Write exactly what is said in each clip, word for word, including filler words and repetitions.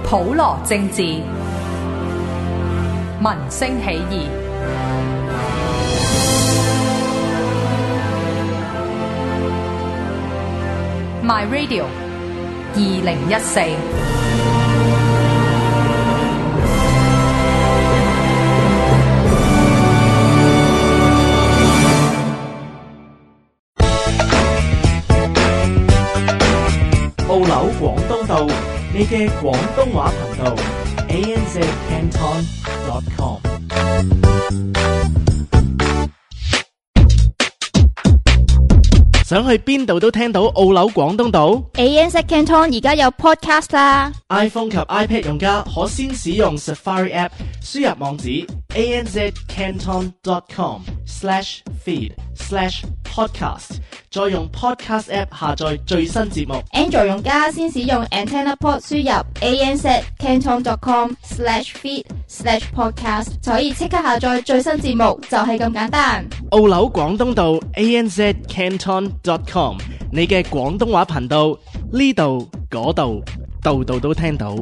普羅政治，民聲起義。My Radio 二零一四。澳紐廣東道，你嘅廣東話頻道 A N Z Canton dot com。 想去邊度都聽到澳紐廣東道。 A N Z Canton 而家有 podcast 啦。 iPhone 及 iPad 用家可先使用 Safari App 輸入網址 A N Z Canton dot com slash feed slash podcast， 再用 Podcast App 下載最新節目。 Android 用家先使用 Antenna Port 輸入 A N Z Canton dot com slash feed slash podcast， 就可以即刻下載最新節目，就係咁簡單。澳紐廣東道 A N Z Canton dot com， 你嘅廣東話頻道，呢度嗰度度度都聽到。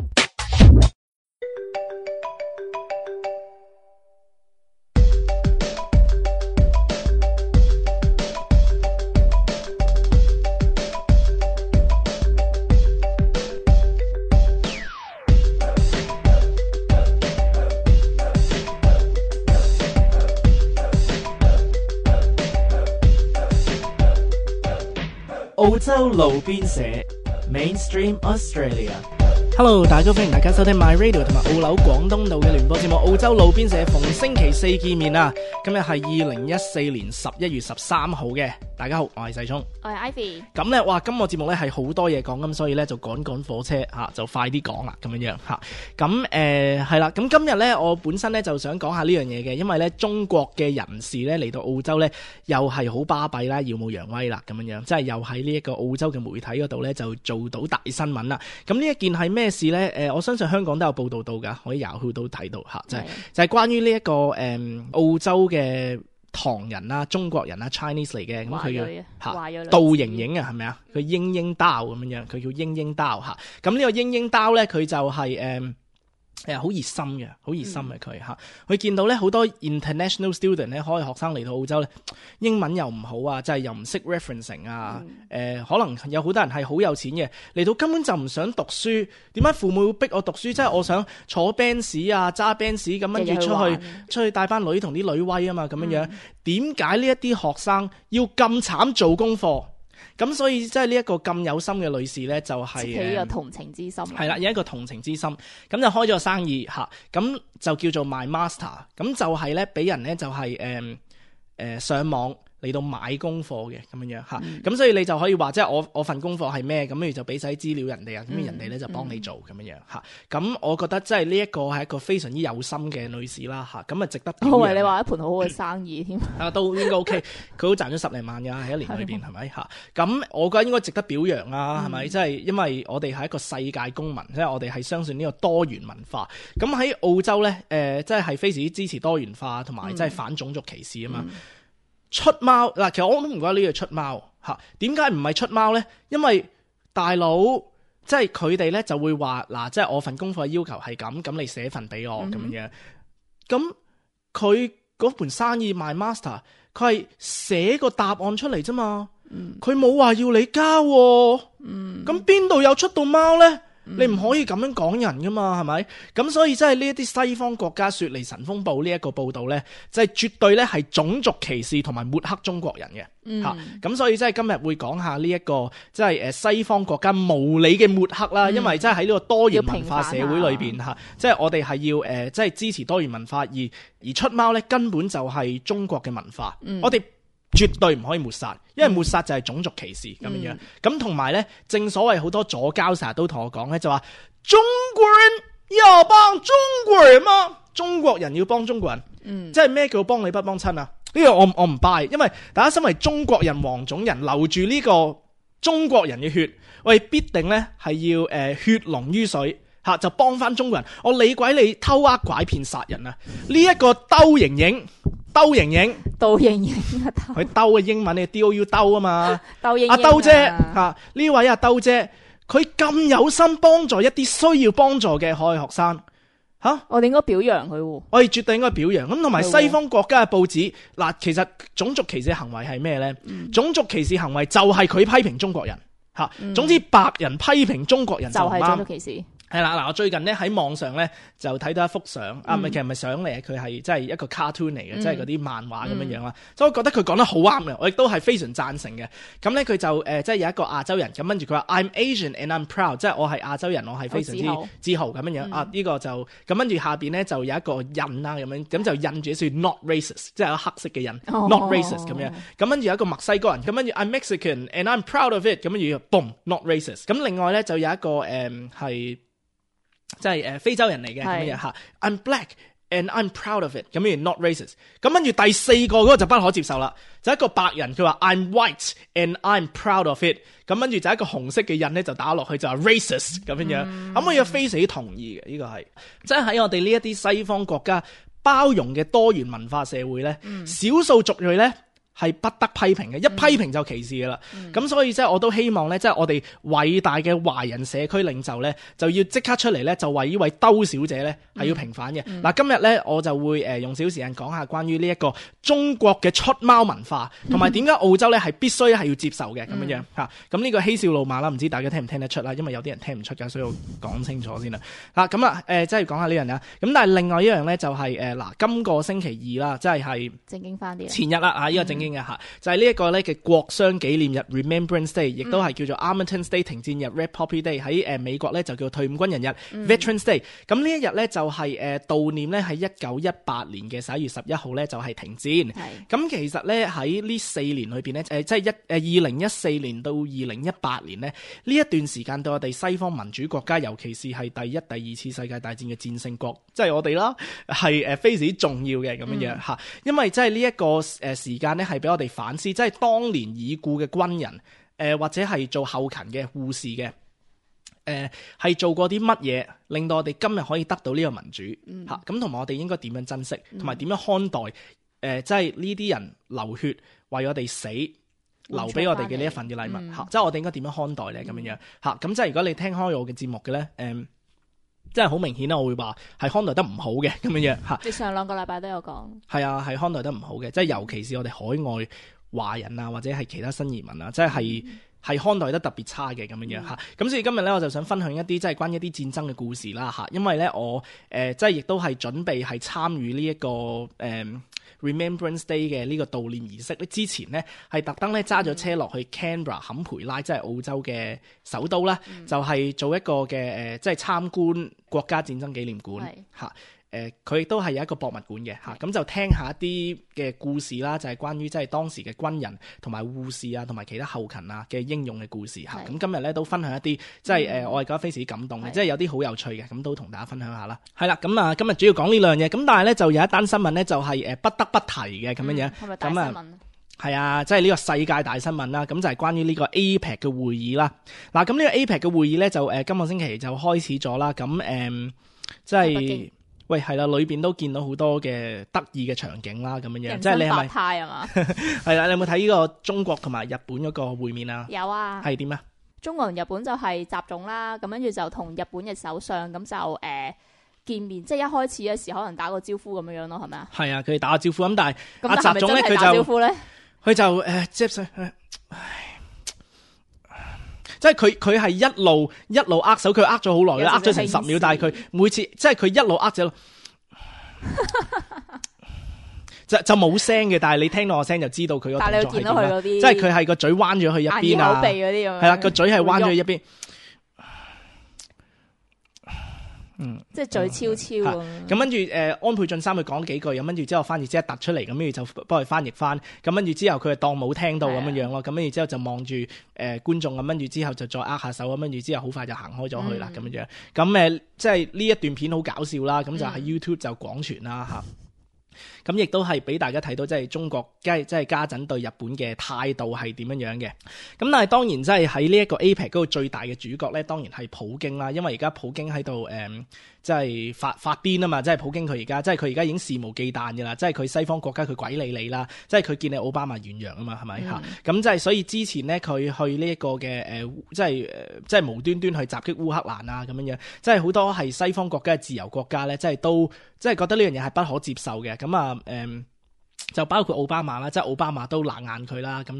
澳洲路邊社 Mainstream Australia。Hello， 大家好，歡迎大家收聽 My Radio 同埋澳紐廣東道嘅聯播節目《澳洲路邊社》，逢星期四見面啊！今日係二零一四年十一月十三號嘅，大家好，我係細聰，我係 Ivy。咁咧，哇，今個節目咧係好多嘢講，咁所以咧就趕趕火車吓、啊，就快啲講啦，咁樣樣吓。咁誒係啦，咁、呃、今日咧我本身咧就想講下呢樣嘢嘅，因為咧中國嘅人士咧嚟到澳洲咧又係好巴閉啦，耀武揚威啦，咁樣樣，即係又喺呢一個澳洲嘅媒體嗰度咧就做到大新聞啦。咁呢一件係咩事咧？誒、呃，我相信香港都有報道到噶，可以 Yahoo 都睇到吓，就係、是、就係、是、關於呢、這、一個誒、嗯、澳洲嘅唐人啦、中國人啦 Chinese 嚟嘅，咁佢嘅吓杜瑩瑩啊，係咪啊？佢英英刀咁樣樣，佢叫英英刀吓。咁呢個英英刀咧，佢就係、是、誒。嗯誒，好熱心嘅，好熱心嘅佢吓，佢見到咧好多 international student 咧，可以學生嚟到澳洲咧，英文又唔好啊，即係又唔識 referencing 啊，誒、嗯呃，可能有好多人係好有錢嘅，嚟到根本就唔想讀書，點解父母會逼我讀書？即係我想坐 Benz 啊，揸 Benz 咁跟住出去，出去帶班女同啲女威啊嘛，咁樣樣，點解呢一啲學生要咁慘做功課？咁所以即係呢一個咁有心嘅女士咧，就係起呢個同情之心。係啦，有一個同情之心，咁就開咗個生意吓，咁就叫做 My Master， 咁就係咧俾人咧就係誒誒上網嚟到買功課嘅咁樣樣吓，咁、嗯、所以你就可以話即係我我份功課係咩，咁跟住就俾晒資料人哋啊，咁、嗯、人哋咧就幫你做咁樣樣吓，咁、嗯、我覺得即係呢一個係一個非常之有心嘅女士啦吓，咁啊值得表揚。我為你話一盤好好嘅生意添，啊都應該 OK， 佢都賺咗十零萬噶喺一年裏邊係咪吓？咁我覺得應該值得表揚啦，係咪？即、嗯、係因為我哋係一個世界公民，即係我哋係相信呢個多元文化。咁喺澳洲咧，誒、呃，即係係非常之支持多元化，同埋即係反種族歧視啊嘛。嗯嗯出貓嗱，其實我都唔覺得呢個出貓嚇。點解唔係出貓咧？因為大佬即係佢哋咧就會話嗱，即係我份功課要求係咁，咁你寫份俾我咁、嗯、樣。咁佢嗰盤生意賣 master， 佢係寫個答案出嚟啫嘛。佢冇話要你交喎。咁邊度有出到貓咧？你唔可以咁樣講人噶嘛，係咪？咁所以真係呢一啲西方國家雪梨晨鋒報呢一個報道呢，就係、是、絕對咧係種族歧視同埋抹黑中國人嘅吓。咁、嗯、所以真係今日會講下呢、這、一個即係誒西方國家無理嘅抹黑啦、嗯，因為真係喺呢個多元文化社會裏邊吓，即係我哋係要誒即係支持多元文化，而而出貓呢根本就係中國嘅文化，嗯、我哋絕對唔可以抹殺，因為抹殺就係種族歧視咁樣樣。咁同埋咧，正所謂好多左膠成日都同我講咧，就話中國人要幫中國人嘛，中國人要幫中國人。嗯，即係咩叫幫你不幫親啊？呢、這個我我唔 buy，因為大家身為中國人、黃種人，流住呢個中國人嘅血，我哋必定咧係要誒、呃、血濃於水。吓就幫翻中國人，我理鬼你偷呃拐騙殺人啊！呢、這、一個兜瑩瑩，兜瑩瑩，兜瑩瑩啊！佢兜嘅英文你 D O U 兜啊嘛，兜英英啊！阿兜姐吓呢位阿兜姐，佢咁有心幫助一啲需要幫助嘅海外學生。吓，我哋應該表揚佢喎。我哋絕對應該表揚。咁同埋西方國家嘅報紙，嗱，其實種族歧視行為係咩呢？嗯、種族歧視行為就係佢批評中國人吓。嗯、總之白人批評中國人就唔啱。就係種族歧視。係啦，嗱，我最近咧喺網上咧就睇到一幅相，嗯、啊，唔係，其實唔係相嚟，佢係即係一個 cartoon 嚟嘅，即係嗰啲漫畫咁樣樣啦。所以我覺得佢講得好啱嘅，我亦都係非常贊成嘅。咁咧佢就誒、呃，即係有一個亞洲人，咁跟住佢話 I'm Asian and I'm proud，即係我係亞洲人，我係非常之自豪咁樣樣。嗯、啊，呢、呢個就咁跟住下邊咧就有一個印啦，咁樣咁就印住一串 not racist， 即係有黑色嘅印、哦、not racist 咁樣。咁跟住有一個墨西哥人，咁跟住 I'm Mexican and I'm proud of it，咁跟住 boom not racist。咁另外咧就有一個誒係。呃即係誒非洲人嚟嘅咁樣嚇 ，I'm black and I'm proud of it，咁樣 not racist。咁跟住第四個嗰個就不可接受啦，就一個白人佢話 I'm white and I'm proud of it，咁跟住就一個紅色嘅印咧就打落去就係 racist 咁樣樣。咁、嗯、我又非常同意嘅，呢、這個係即係喺我哋呢一啲西方國家包容嘅多元文化社會咧，少、嗯、數族裔咧。係不得批評嘅，一批評就歧視噶啦。咁、嗯、所以即係我都希望咧，即係我哋偉大嘅華人社區領袖咧，就要即刻出嚟咧，就為呢位兜小姐咧係要平反嘅。嗱、嗯，今日咧我就會誒用少時間講下關於呢一個中國嘅出貓文化，同埋點解澳洲咧係必須係要接受嘅咁樣樣嚇。咁呢、嗯、個嬉笑怒罵啦，唔知大家聽唔聽得出啦？因為有啲人聽唔出㗎，所以我講清楚先啦。嗱咁啊誒，即係講下呢樣嘢。咁但係另外一樣咧就係誒嗱，今個星期二啦，即係係正經翻啲前日啦啊，呢、這個正經嘅嚇，嗯、就係呢一個咧嘅國殤紀念日 Remembrance Day， 亦都係叫做 Armistice Day 停戰日 Red Poppy Day， 喺誒美國咧就叫退伍軍人日、嗯、Veterans Day。咁呢一日咧就係誒悼念咧喺一九一八年嘅十一月十一號咧就係停戰。咁是其實咧喺呢四年裏邊咧誒即係一誒二零一四年到二零一八年咧呢一段時間對我哋西方民主國家，尤其是係第一、第二次世界大戰嘅戰勝國，即係我哋啦，係誒非常之重要嘅咁樣樣嚇。嗯、因為即係呢一個誒時間咧係俾我哋反思，即係當年已故嘅軍人，誒、呃、或者係做後勤嘅護士嘅，誒、呃、係做過啲乜嘢，令到我哋今日可以得到呢個民主嚇。咁同埋我哋應該點樣珍惜，同埋點樣看待誒、呃，即係呢啲人流血為我哋死，留俾我哋嘅呢一份嘅禮物嚇、嗯啊。即係我哋應該點樣看待咧咁樣樣嚇。咁、嗯、即係如果你聽開我嘅節目嘅咧，誒、呃。即係好明顯啦，我會話係看待得唔好嘅咁樣樣嚇。你上兩個禮拜都有講。係啊，係看待得唔好嘅，即係尤其是我哋海外華人啊，或者係其他新移民啊，即係係、嗯、看待得特別差嘅咁樣樣嚇。咁、嗯、所以今日咧，我就想分享一啲即係關於一啲戰爭嘅故事啦嚇。因為咧，我誒、呃、即係亦都係準備係參與呢一個誒。呃 Remembrance Day 嘅呢個悼念儀式咧，之前呢係特登咧揸咗車落去 Canberra 坎培拉，即係澳洲嘅首都啦，嗯、就係做一個嘅誒、呃，即係參觀國家戰爭紀念館嚇。誒，佢亦都係有一個博物館嘅嚇，咁是就聽下一啲嘅故事啦，就係、是、關於即係當時嘅軍人同埋護士啊，同埋其他後勤啊嘅英勇嘅故事嚇。咁是今日咧都分享一啲，即係誒，嗯、我係覺得非常之感動嘅，即係是有啲好有趣嘅，咁都同大家分享下啦。係啦，咁啊，今日主要講呢兩樣嘢，咁但係咧就有一單新聞咧，就係誒不得不提嘅咁樣樣。係咪大新聞？係啊，即係呢個世界大新聞啦，咁就係關於呢個 A PEC 嘅會議啦。嗱，咁呢個 A PEC 嘅會議咧就誒、呃、今個星期就開始咗啦。咁誒、呃，即係。喂，係啦，裏邊都見到好多嘅得意嘅場景啦，咁樣樣，即係你係咪？派啊嘛，係啦，你有冇睇呢個中國同埋日本嗰個會面啊？有啊，係點啊？中國同日本就係習總啦，咁跟住就同日本嘅首相咁就誒、呃、見面，即係一開始嘅時可能打個招呼咁樣樣咯，係咪啊？係啊，佢哋打個招呼咁，但係阿習總咧，佢就佢就誒接上，唉。即係佢佢係一路一路握手，佢握咗好耐啦，握咗成十秒，但係佢每次即係佢一路握咗，就就冇聲嘅，但係你聽到我聲就知道佢個動作係點。但係你見到佢嗰啲，即係佢係個嘴彎咗去一邊啊，鼻嗰啲咁樣，係啦，個嘴係彎咗去一邊。嗯，即係嘴超超咁。咁跟住誒，安倍晉三佢講幾句，咁跟住之後翻譯即係突出嚟，咁跟住就幫佢翻譯翻。咁跟住之後佢就當冇聽到咁樣樣咯。咁跟住之後就望住誒觀眾，咁跟住之後就再握下手，咁跟住之後好快就行開咗去啦咁樣樣。咁誒，即係呢一段片好搞笑啦。咁就喺 YouTube 就廣傳啦嚇。咁亦都係俾大家睇到，即係中國即係即係家陣對日本嘅態度係點樣樣嘅。咁但係當然即係喺呢一個 A PEC 嗰個最大嘅主角咧，當然係普京啦。因為而家普京喺度誒，即係發發癲啊嘛！即係普京佢而家即係佢而家已經肆無忌憚嘅啦。即係佢西方國家佢鬼理你啦。即係佢見你奧巴馬軟弱啊嘛，係咪嚇？咁即係所以之前咧佢去呢一個嘅誒、呃，即係誒、呃，即係無端端去襲擊烏克蘭啊咁樣樣。即係好多係西方國家嘅自由國家咧，即係都即係覺得呢樣嘢係不可接受嘅。咁啊〜誒、嗯，就包括奧巴馬啦，即係奧巴馬都冷眼佢啦，咁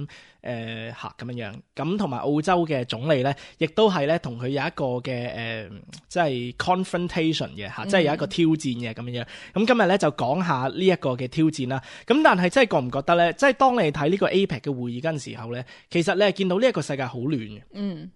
誒嚇咁樣樣，咁同埋澳洲嘅總理咧，亦都係咧同佢有一個嘅誒、呃，即係 confrontation 嘅嚇，即係有一個挑戰嘅咁樣樣。咁今日咧就講下呢一個嘅挑戰啦。咁但係真係覺唔覺得咧？即係當你睇呢個 A PEC 嘅會議嗰陣時候咧，其實你係見到呢一個世界好亂嘅。嗯。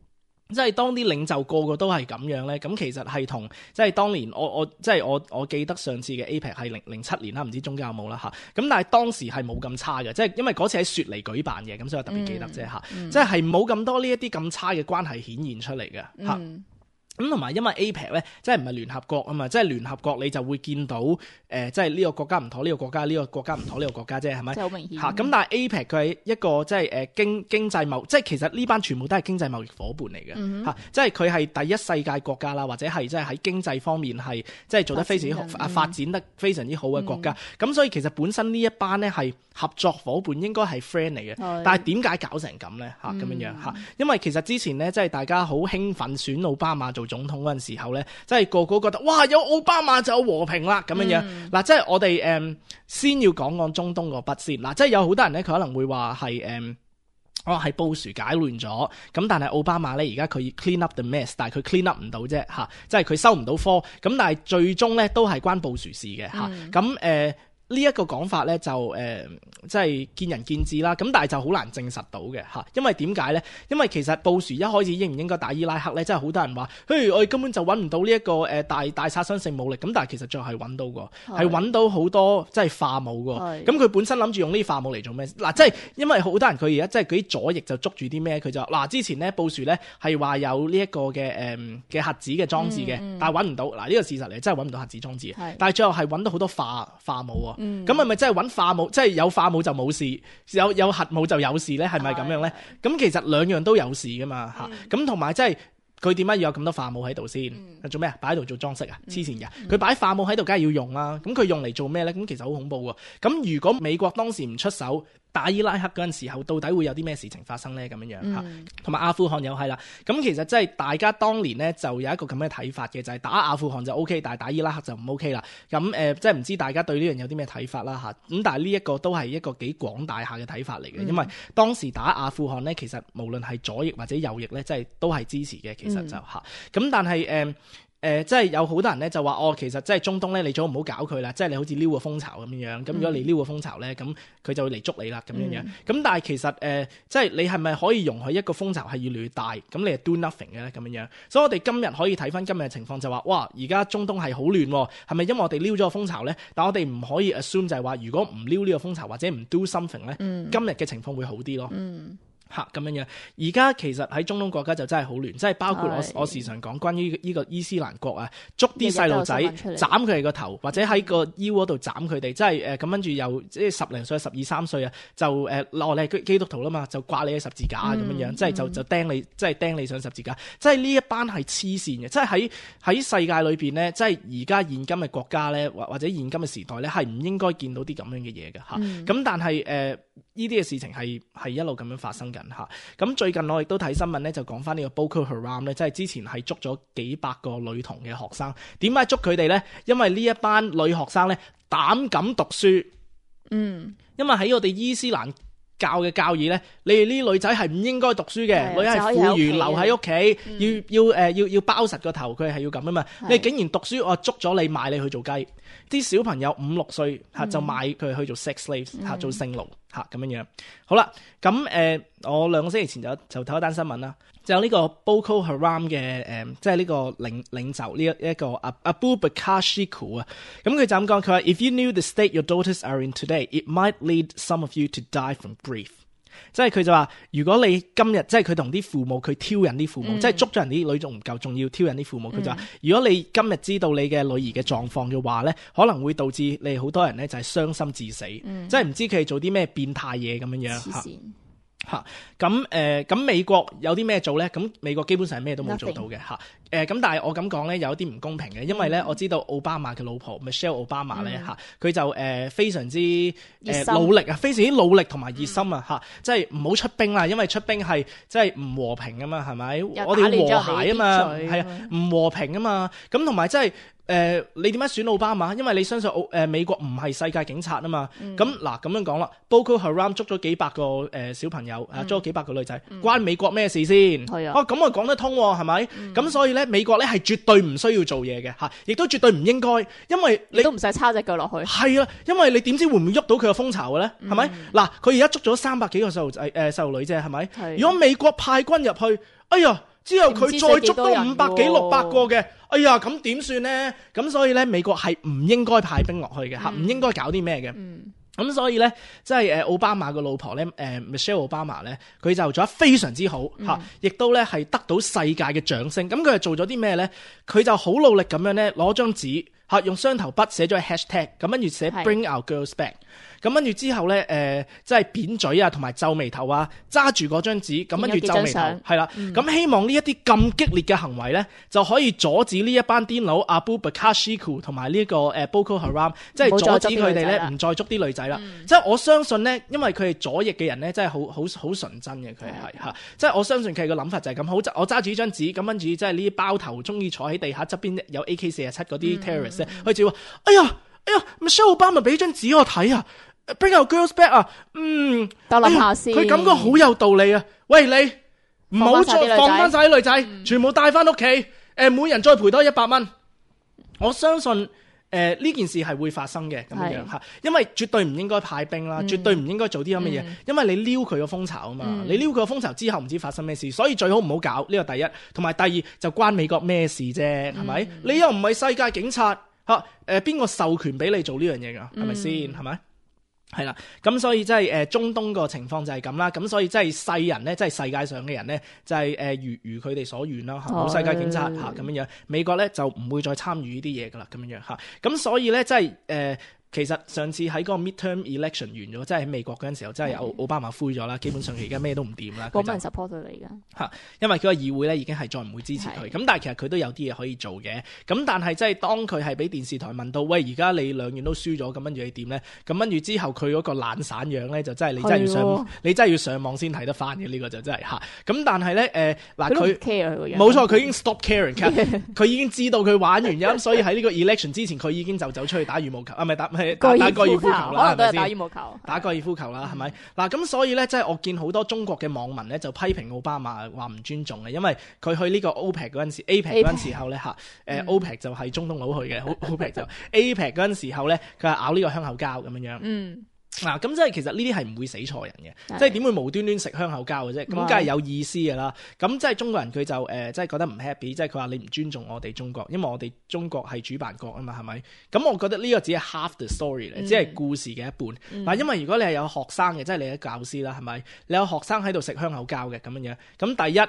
即係當啲領袖個個都係咁樣咧，咁其實係同即係當年我我即係我我記得上次嘅 A PEC 係零零七年啦，唔知中間有冇啦嚇。咁但係當時係冇咁差嘅，即係因為嗰次喺雪梨舉辦嘅，咁所以我特別記得啫嚇。嗯嗯、即係係冇咁多呢一啲咁差嘅關係顯現出嚟嘅嚇。嗯咁同埋因為 A PEC 咧，即係唔係聯合國啊嘛，即係聯合國你就會見到誒、呃，即係呢個國家唔妥呢個國家，呢、這個國家唔妥呢個國家啫，係咪？就好明顯嚇。咁但係 A PEC 佢係一個即係誒經經濟貿，即係其實呢班全部都係經濟貿易伙伴嚟嘅嚇，嗯、哼即係佢係第一世界國家啦，或者係即係喺經濟方面係即係做得非常之好啊，發展得非常之好嘅國家。咁、嗯、所以其實本身呢一班咧係合作伙伴，應該係 friend 嚟嘅。嗯、但係點解搞成咁咧嚇咁樣樣嚇？因為其實之前咧即係大家好興奮選奧巴馬做總統嗰陣時候咧，即係個個覺得哇有奧巴馬就有和平啦咁樣樣。嗱、嗯，即係我哋誒、嗯、先要講講中東個筆先。嗱，即係有好多人咧，佢可能會話係誒，哦係布殊解亂咗，咁但係奧巴馬咧而家佢 clean up the mess， 但係佢 clean up 唔到啫嚇，即係佢收唔到科。咁但係最終咧都係關布殊事嘅嚇。咁誒、嗯。呢一個講法咧就誒、呃，即係見仁見智啦。咁但係就好難證實到嘅嚇，因為點解咧？因為其實布殊一開始應唔應該打伊拉克咧，真係好多人話，嘿，我哋根本就揾唔到呢一個誒大大殺傷性武力。咁但係其實最後係揾到㗎，係揾是到好多即係化武㗎。咁佢是本身諗住用呢啲化武嚟做咩？嗱，即係因為好多人佢而家即係嗰啲左翼就捉住啲咩？佢就嗱，之前咧布殊咧係話有呢一個嘅誒嘅核子嘅裝置嘅，嗯嗯、但係揾唔到。嗱，呢個事實嚟，真係揾唔到核子裝置嘅。是但係最後係揾到好多化化武啊。咁係咪真係揾化武？即係有化武就冇事，有有核武就有事咧？係咪咁樣咧？咁其實兩樣都有事噶嘛嚇。咁同埋即係佢點解要有咁多化武喺度先？嗯、做咩啊？擺喺度做裝飾啊？黐線嘅！佢擺化武喺度，梗係要用啦。咁佢用嚟做咩咧？咁其實好恐怖喎。咁如果美國當時唔出手打伊拉克嗰陣時候，到底會有啲咩事情發生咧？咁樣樣嚇，同埋、嗯、阿富汗又係啦。咁其實即係大家當年咧就有一個咁嘅睇法嘅，就係、是、打阿富汗就 O K， 但係打伊拉克就唔 O K 啦。咁誒、呃，即係唔知大家對呢樣有啲咩睇法啦嚇。咁但係呢一個都係一個幾廣大下嘅睇法嚟嘅，嗯、因為當時打阿富汗咧，其實無論係左翼或者右翼咧，即係都係支持嘅。其實就嚇。咁、嗯、但係誒。呃誒、呃，即係有好多人咧就話，哦，其實即係中東咧，你最好唔好搞佢啦，即係你好似撩個風潮咁樣樣。咁如果你撩個風潮咧，咁佢就會嚟捉你啦，咁樣樣。咁、嗯、但係其實誒、呃，即係你係咪可以容許一個風潮係越嚟越大，咁你係 do nothing 嘅咧，咁樣樣。所以我哋今日可以睇翻今日嘅情況就話，哇，而家中東係好亂，係咪因為我哋撩咗個風潮咧？但我哋唔可以 assume 就係話，如果唔撩呢個風潮或者唔 do something 咧，嗯、今日嘅情況會好啲咯。嗯嚇咁樣樣，而家其實喺中東國家就真係好亂，即係包括我我時常講關於呢個伊斯蘭國啊，捉啲細路仔斬佢哋個頭，或者喺個腰嗰度斬佢哋，即係誒咁跟住又即係十零歲、十二三歲啊，就誒落嚟係基督徒啦嘛，就掛你嘅十字架咁樣樣，即係就就釘你，即係釘你上十字架，即係呢一班係黐線嘅，即係喺喺世界裏邊咧，即係而家現今嘅國家咧，或或者現今嘅時代咧，係唔應該見到啲咁樣嘅嘢嘅嚇。咁、嗯、但係誒呢啲嘅事情係係一路咁樣發生嘅。嚇，咁最近我亦都睇新聞咧，就講翻呢個 Boko Haram 咧，即係之前係捉咗幾百個女童嘅學生。點解捉佢哋咧？因為呢一班女學生咧膽敢讀書。嗯，因為喺我哋伊斯蘭教嘅教義咧，你哋呢啲女仔係唔應該讀書嘅，女係婦孺留喺屋企，嗯、要要誒、呃、要要包實個頭，佢係要咁啊嘛。是你竟然讀書，我捉咗你賣你去做雞。啲小朋友五六歲嚇就買佢去做 sex slaves 嚇、嗯、做性奴嚇咁樣樣。好啦，咁誒、呃、我兩個星期前就就睇一單新聞啦，就有呢個 Boko Haram 嘅誒、呃，即係呢個領領袖呢一一個阿 Abu Bakr Shikau 啊。咁佢就咁講，佢話 If you knew the state your daughters are in today, it might lead some of you to die from grief。即係佢就話，如果你今日即係佢同啲父母佢挑釁啲父母，嗯、即係捉咗人啲女仲唔夠，仲要挑釁啲父母。佢、嗯、就話，如果你今日知道你嘅女兒嘅狀況嘅話咧，可能會導致你好多人咧就係傷心致死，嗯、即係唔知佢哋做啲咩變態嘢咁樣樣嚇。嚇咁誒咁美國有啲咩做咧？咁美國基本上係咩都冇做到嘅嚇。誒咁、呃、但係我咁講咧有啲唔公平嘅，因為咧、嗯、我知道奧巴馬嘅老婆 Michelle Obama 咧嚇，佢、嗯、就誒、呃、非常之誒、呃、努力啊，非常之努力同埋熱心啊嚇、嗯，即係唔好出兵啦，因為出兵係即係唔和平啊嘛，係咪？我哋要和諧啊嘛，係啊，唔和平啊嘛，咁同埋即係。誒、呃，你點解選奧巴馬？因為你相信奧誒、呃、美國唔係世界警察啊嘛。咁嗱咁樣講啦 Boko Haram 捉咗幾百個誒、呃、小朋友，啊、嗯、捉咗幾百個女仔，嗯、關美國咩事先？係、嗯、啊。哦，咁啊講得通喎，係咪？咁、嗯、所以咧，美國咧係絕對唔需要做嘢嘅嚇，亦都絕對唔應該，因為你，你都唔使叉隻腳落去。係啊，因為你點知會唔會喐到佢個風潮嘅咧？係咪、嗯？嗱，佢而家捉咗三百幾個細路仔誒細路女啫，係咪？如果美國派軍入去，哎呀！之後佢再捉多五百幾六百個嘅，哎呀咁點算呢？咁所以咧，美國係唔應該派兵落去嘅嚇，唔、嗯、應該搞啲咩嘅。咁、嗯、所以咧，即係誒奧巴馬個老婆咧，誒、呃、Michelle Obama 咧，佢就做得非常之好嚇，亦、嗯、都咧係得到世界嘅掌聲。咁佢係做咗啲咩咧？佢就好努力咁樣咧，攞張紙嚇，用雙頭筆寫咗 hashtag， 咁跟住寫 Bring Our Girls Back。咁跟住之後咧，誒、呃，即係扁嘴啊，同埋皺眉頭啊，揸住嗰張紙，咁跟住皺眉頭，係啦。咁、嗯、希望呢一啲咁激烈嘅行為咧，就可以阻止呢一班癲佬 Abu Bakr Shekau 同埋呢個誒 Boko Haram，即係阻止佢哋咧唔再捉啲女仔啦。嗯、即係我相信咧，因為佢係左翼嘅人咧，真係好好好純真嘅，佢係嚇。即係我相信佢個諗法就係咁。好，我揸住呢張紙，咁跟住即係呢啲包頭中意坐喺地下側邊有 A K 四十七嗰啲 terrorist 咧，佢就話：哎呀，哎呀 ，Michelle Obama 俾張紙我睇啊！Bring our girls back 啊，嗯，等諗下先。佢、哎、感覺好有道理啊！喂，你唔好再放翻晒啲女仔，嗯、全部帶翻屋企，誒、呃，每人再賠多一百蚊。我相信誒呢、呃、件事係會發生嘅咁樣吓，因為絕對唔應該派兵啦，嗯、絕對唔應該做啲咁嘅嘢，嗯、因為你撩佢個風潮啊嘛，嗯、你撩佢個風潮之後唔知發生咩事，所以最好唔好搞呢、這個第一，同埋第二就關美國咩事啫，係咪？嗯、你又唔係世界警察吓，誒邊個授權俾你做呢樣嘢噶？係咪先？係咪？係啦，咁所以即係誒中東個情況就係咁啦，咁所以即係世人咧，即係世界上嘅人咧，就係誒如如佢哋所願啦，冇世界警察吓咁樣樣，美國咧就唔會再參與呢啲嘢噶啦，咁樣樣吓，咁所以咧即係誒。呃其實上次喺嗰個 midterm election 完咗，即係喺美國嗰陣時候，真係奧奧巴馬灰咗啦。基本上佢而家咩都唔掂啦。冇乜人 support 佢嚟㗎嚇，因為佢個議會咧已經係再唔會支持佢。咁但係其實佢都有啲嘢可以做嘅。咁但係即係當佢係俾電視台問到，喂，而家你兩院都輸咗，咁跟住你點咧？咁跟住之後佢嗰個懶散樣咧，就真係你真係要上，你真係要上網先睇得翻嘅呢個就真係嚇。咁但係咧誒嗱佢冇錯，佢已經 stop caring，佢已經知道佢玩完咁，所以喺呢個 election 之前佢已經就走出去打羽毛球啊，唔係打。打打高爾夫球啦，係咪先？打羽毛球，打高爾夫球啦，係咪？嗱咁所以咧，即係我見好多中國嘅網民咧，就批評奧巴馬話唔尊重嘅，因為佢去呢個 OPEC 嗰陣時 ，APEC 嗰陣時候咧嚇，誒 OPEC 就係中東佬去嘅，OPEC 就 APEC 嗰陣時候咧，佢係咬呢個香口膠咁樣樣。嗯。嗱，咁即係其實呢啲係唔會死錯人嘅，即係點會無端端食香口膠嘅啫？咁梗係有意思㗎啦。咁即係中國人佢就誒、呃，即係覺得唔 happy，即係佢話你唔尊重我哋中國，因為我哋中國係主辦國啊嘛，係咪？咁我覺得呢個只係 half the story 嚟、嗯，只係故事嘅一半。嗱、嗯，因為如果你係有學生嘅，即係你係教師啦，係咪？你有學生喺度食香口膠嘅咁樣樣，咁第一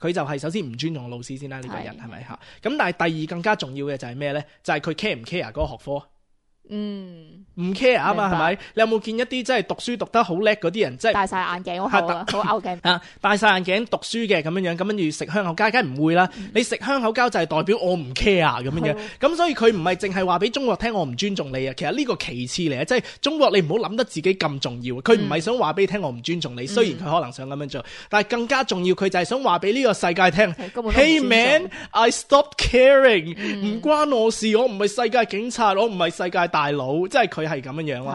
佢就係首先唔尊重老師先啦，呢、呢個人係咪嚇？咁但係第二更加重要嘅就係咩咧？就係佢 care 唔 care 嗰個學科？嗯，唔 care 啊嘛，係咪？你有冇見一啲即係讀書讀得好叻嗰啲人，即係戴晒眼鏡好啊，好 out 鏡啊，戴晒眼鏡讀書嘅咁樣樣，咁跟住食香口膠，梗係唔會啦。嗯、你食香口膠就係代表我唔 care 啊咁樣樣，咁所以佢唔係淨係話俾中國聽我唔尊重你啊。其實呢個其次嚟啊，即係中國你唔好諗得自己咁重要。佢唔係想話俾你聽我唔尊重你，嗯、雖然佢可能想咁樣做，但係更加重要，佢就係想話俾呢個世界聽。Hey man, I stopped caring，唔、嗯、關我事，我唔係世界警察，我唔係世界大佬，即係。佢係咁樣樣咯，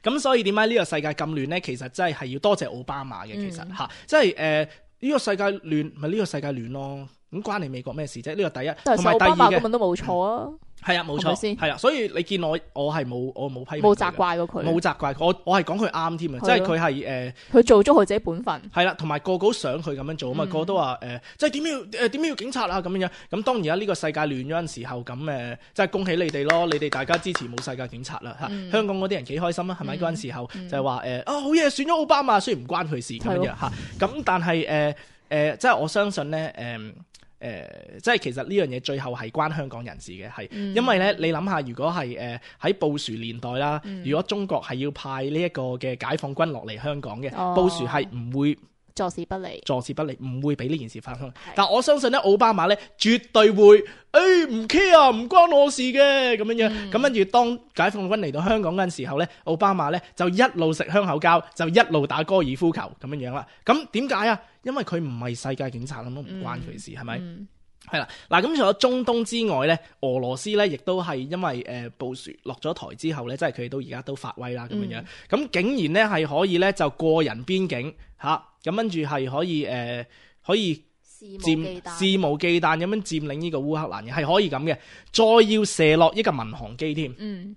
咁是所以點解呢個世界咁亂咧？其實真係係要多謝奧巴馬嘅，其實吓，即係誒呢個世界亂咪呢個世界亂咯，咁關你美國咩事啫？呢、這個第一，同埋第二嘅，奧巴馬根本都冇錯啊。係啊，冇錯，係咪先係啦，所以你見我我係冇我冇批評佢嘅，冇責怪過佢，冇責怪佢，我我係講佢啱添啊，即係佢係誒佢做足佢自己本分。係啦，同埋個個都想佢咁樣做啊嘛，嗯個個都話誒，即係點要誒點要警察啊咁樣樣。咁當然啦，呢個世界亂咗陣時候，咁誒即係恭喜你哋咯，你哋大家支持冇世界警察啦嚇。嗯香港嗰啲人幾開心啊，係咪嗯嗰陣時候嗯就係話誒啊好嘢，選咗奧巴馬，雖然唔關佢事咁樣樣嚇。咁但係誒誒，即係我相信咧誒。誒、呃，即係其實呢樣嘢最後係關香港人士嘅，係、嗯、因為咧，你諗下，如果係誒喺布殊年代啦，嗯、如果中國係要派呢一個嘅解放軍落嚟香港嘅，哦、布殊係唔會坐視不理，坐視不理，唔會俾呢件事發生。但我相信咧，奧巴馬咧絕對會，誒、欸、唔 care 啊，唔關我事嘅咁樣樣。咁跟住當解放軍嚟到香港嗰陣時候咧，奧巴馬咧就一路食香口膠，就一路打高爾夫球咁樣樣啦。咁點解啊？因為佢唔係世界警察咁，都唔關佢事，係咪、嗯？係啦，嗱咁除咗中東之外咧，俄羅斯咧亦都係因為誒布殊落咗台之後咧，即係佢哋都而家都發威啦咁樣樣。咁、嗯、竟然咧係可以咧就過人邊境嚇，咁跟住係可以誒、呃、可以佔肆無忌憚咁樣佔領呢個烏克蘭嘅，係可以咁嘅。再要射落一個民航機添。嗯。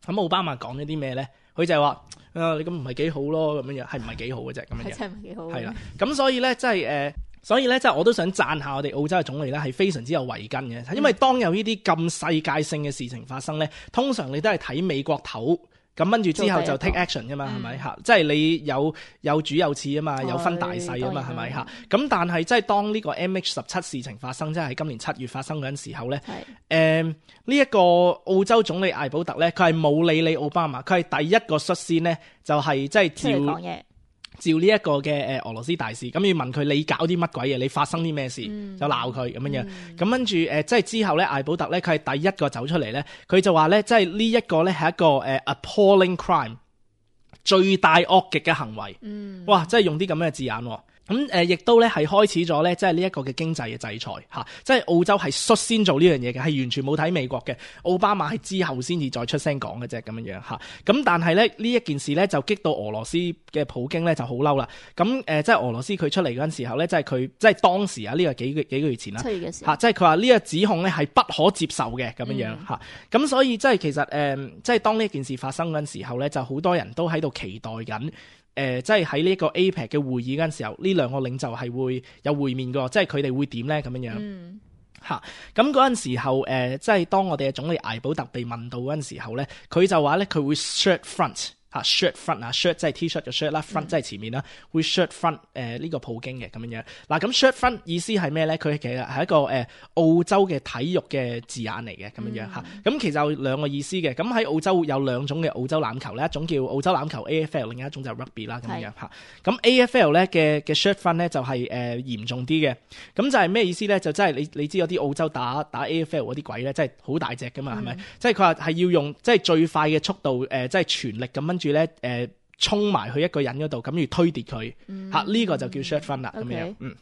咁奧巴馬講咗啲咩咧？佢就係話：啊，你咁唔係幾好咯，咁樣樣係唔係幾好嘅啫？咁樣樣。真係唔係幾好。係啦，咁所以咧，即係誒。呃所以咧，即係我都想讚下我哋澳洲嘅總理咧，係非常之有慧根嘅。因為當有呢啲咁世界性嘅事情發生咧，通常你都係睇美國頭，咁跟住之後就 take action 噶嘛，係咪嚇？即係你有有主有次啊嘛，有分大細啊嘛，係咪嚇？咁但係即係當呢個 M H 十七事情發生，即係喺今年七月發生嗰陣時候咧，誒呢一個澳洲總理艾保特咧，佢係冇理你奧巴馬，佢係第一個率先呢，就係即係照照呢一個嘅誒俄羅斯大使，咁要問佢你搞啲乜鬼嘢，你發生啲咩事，嗯、就鬧佢咁樣樣。咁跟住誒，即係之後咧，艾保特咧，佢係第一個走出嚟咧，佢就話咧，即係呢一個咧係一個誒 appalling crime，最大惡極嘅行為。嗯、哇！即係用啲咁嘅字眼。咁誒，亦、呃、都咧係開始咗咧，即係呢一個嘅經濟嘅制裁嚇、啊，即係澳洲係率先做呢樣嘢嘅，係完全冇睇美國嘅。奧巴馬係之後先至再出聲講嘅啫，咁樣樣嚇。咁、啊、但係咧呢一件事咧就激到俄羅斯嘅普京咧就好嬲啦。咁誒、呃，即係俄羅斯佢出嚟嗰陣時候咧，即係佢即係當時啊呢、這個幾個幾個月前啦嚇，即係佢話呢個指控咧係不可接受嘅咁樣樣嚇。咁、嗯、所以即係其實誒、呃，即係當呢件事發生嗰陣時候咧，就好多人都喺度期待緊。誒、呃，即係喺呢一個 A P E C 嘅會議嗰陣時候，呢兩個領袖係會有會面嘅，即係佢哋會點咧咁樣樣嚇。咁嗰陣時候，誒、呃，即係當我哋嘅總理艾保特被問到嗰陣時候咧，佢就話咧佢會 shirt front。嚇 shirt front 啊 shirt 即係 T-shirt 嘅 shirt 啦 front 即係前面啦，會 shirt front 誒、呃、呢、這個普京嘅咁樣樣。嗱咁 shirt front 意思係咩咧？佢其實係一個誒、呃、澳洲嘅體育嘅字眼嚟嘅咁樣樣嚇。咁、嗯、其實有兩個意思嘅。咁喺澳洲有兩種嘅澳洲欖球咧，一種叫澳洲欖球 A F L， 另一種就係 rugby 啦咁樣樣嚇。咁 A F L 咧嘅嘅 shirt front 咧就係、是、誒、呃、嚴重啲嘅。咁就係咩意思咧？就真係你你知有啲澳洲打打 A F L 嗰啲鬼咧，真係好大隻噶嘛，係咪、嗯？即係佢話係要用即係最快嘅速度誒、呃，即係全力咁跟住咧誒。呃衝埋去一個人嗰度，咁要推跌佢，嚇呢、嗯啊呢個就叫 shirt front 啦，咁 okay. 樣，嗯。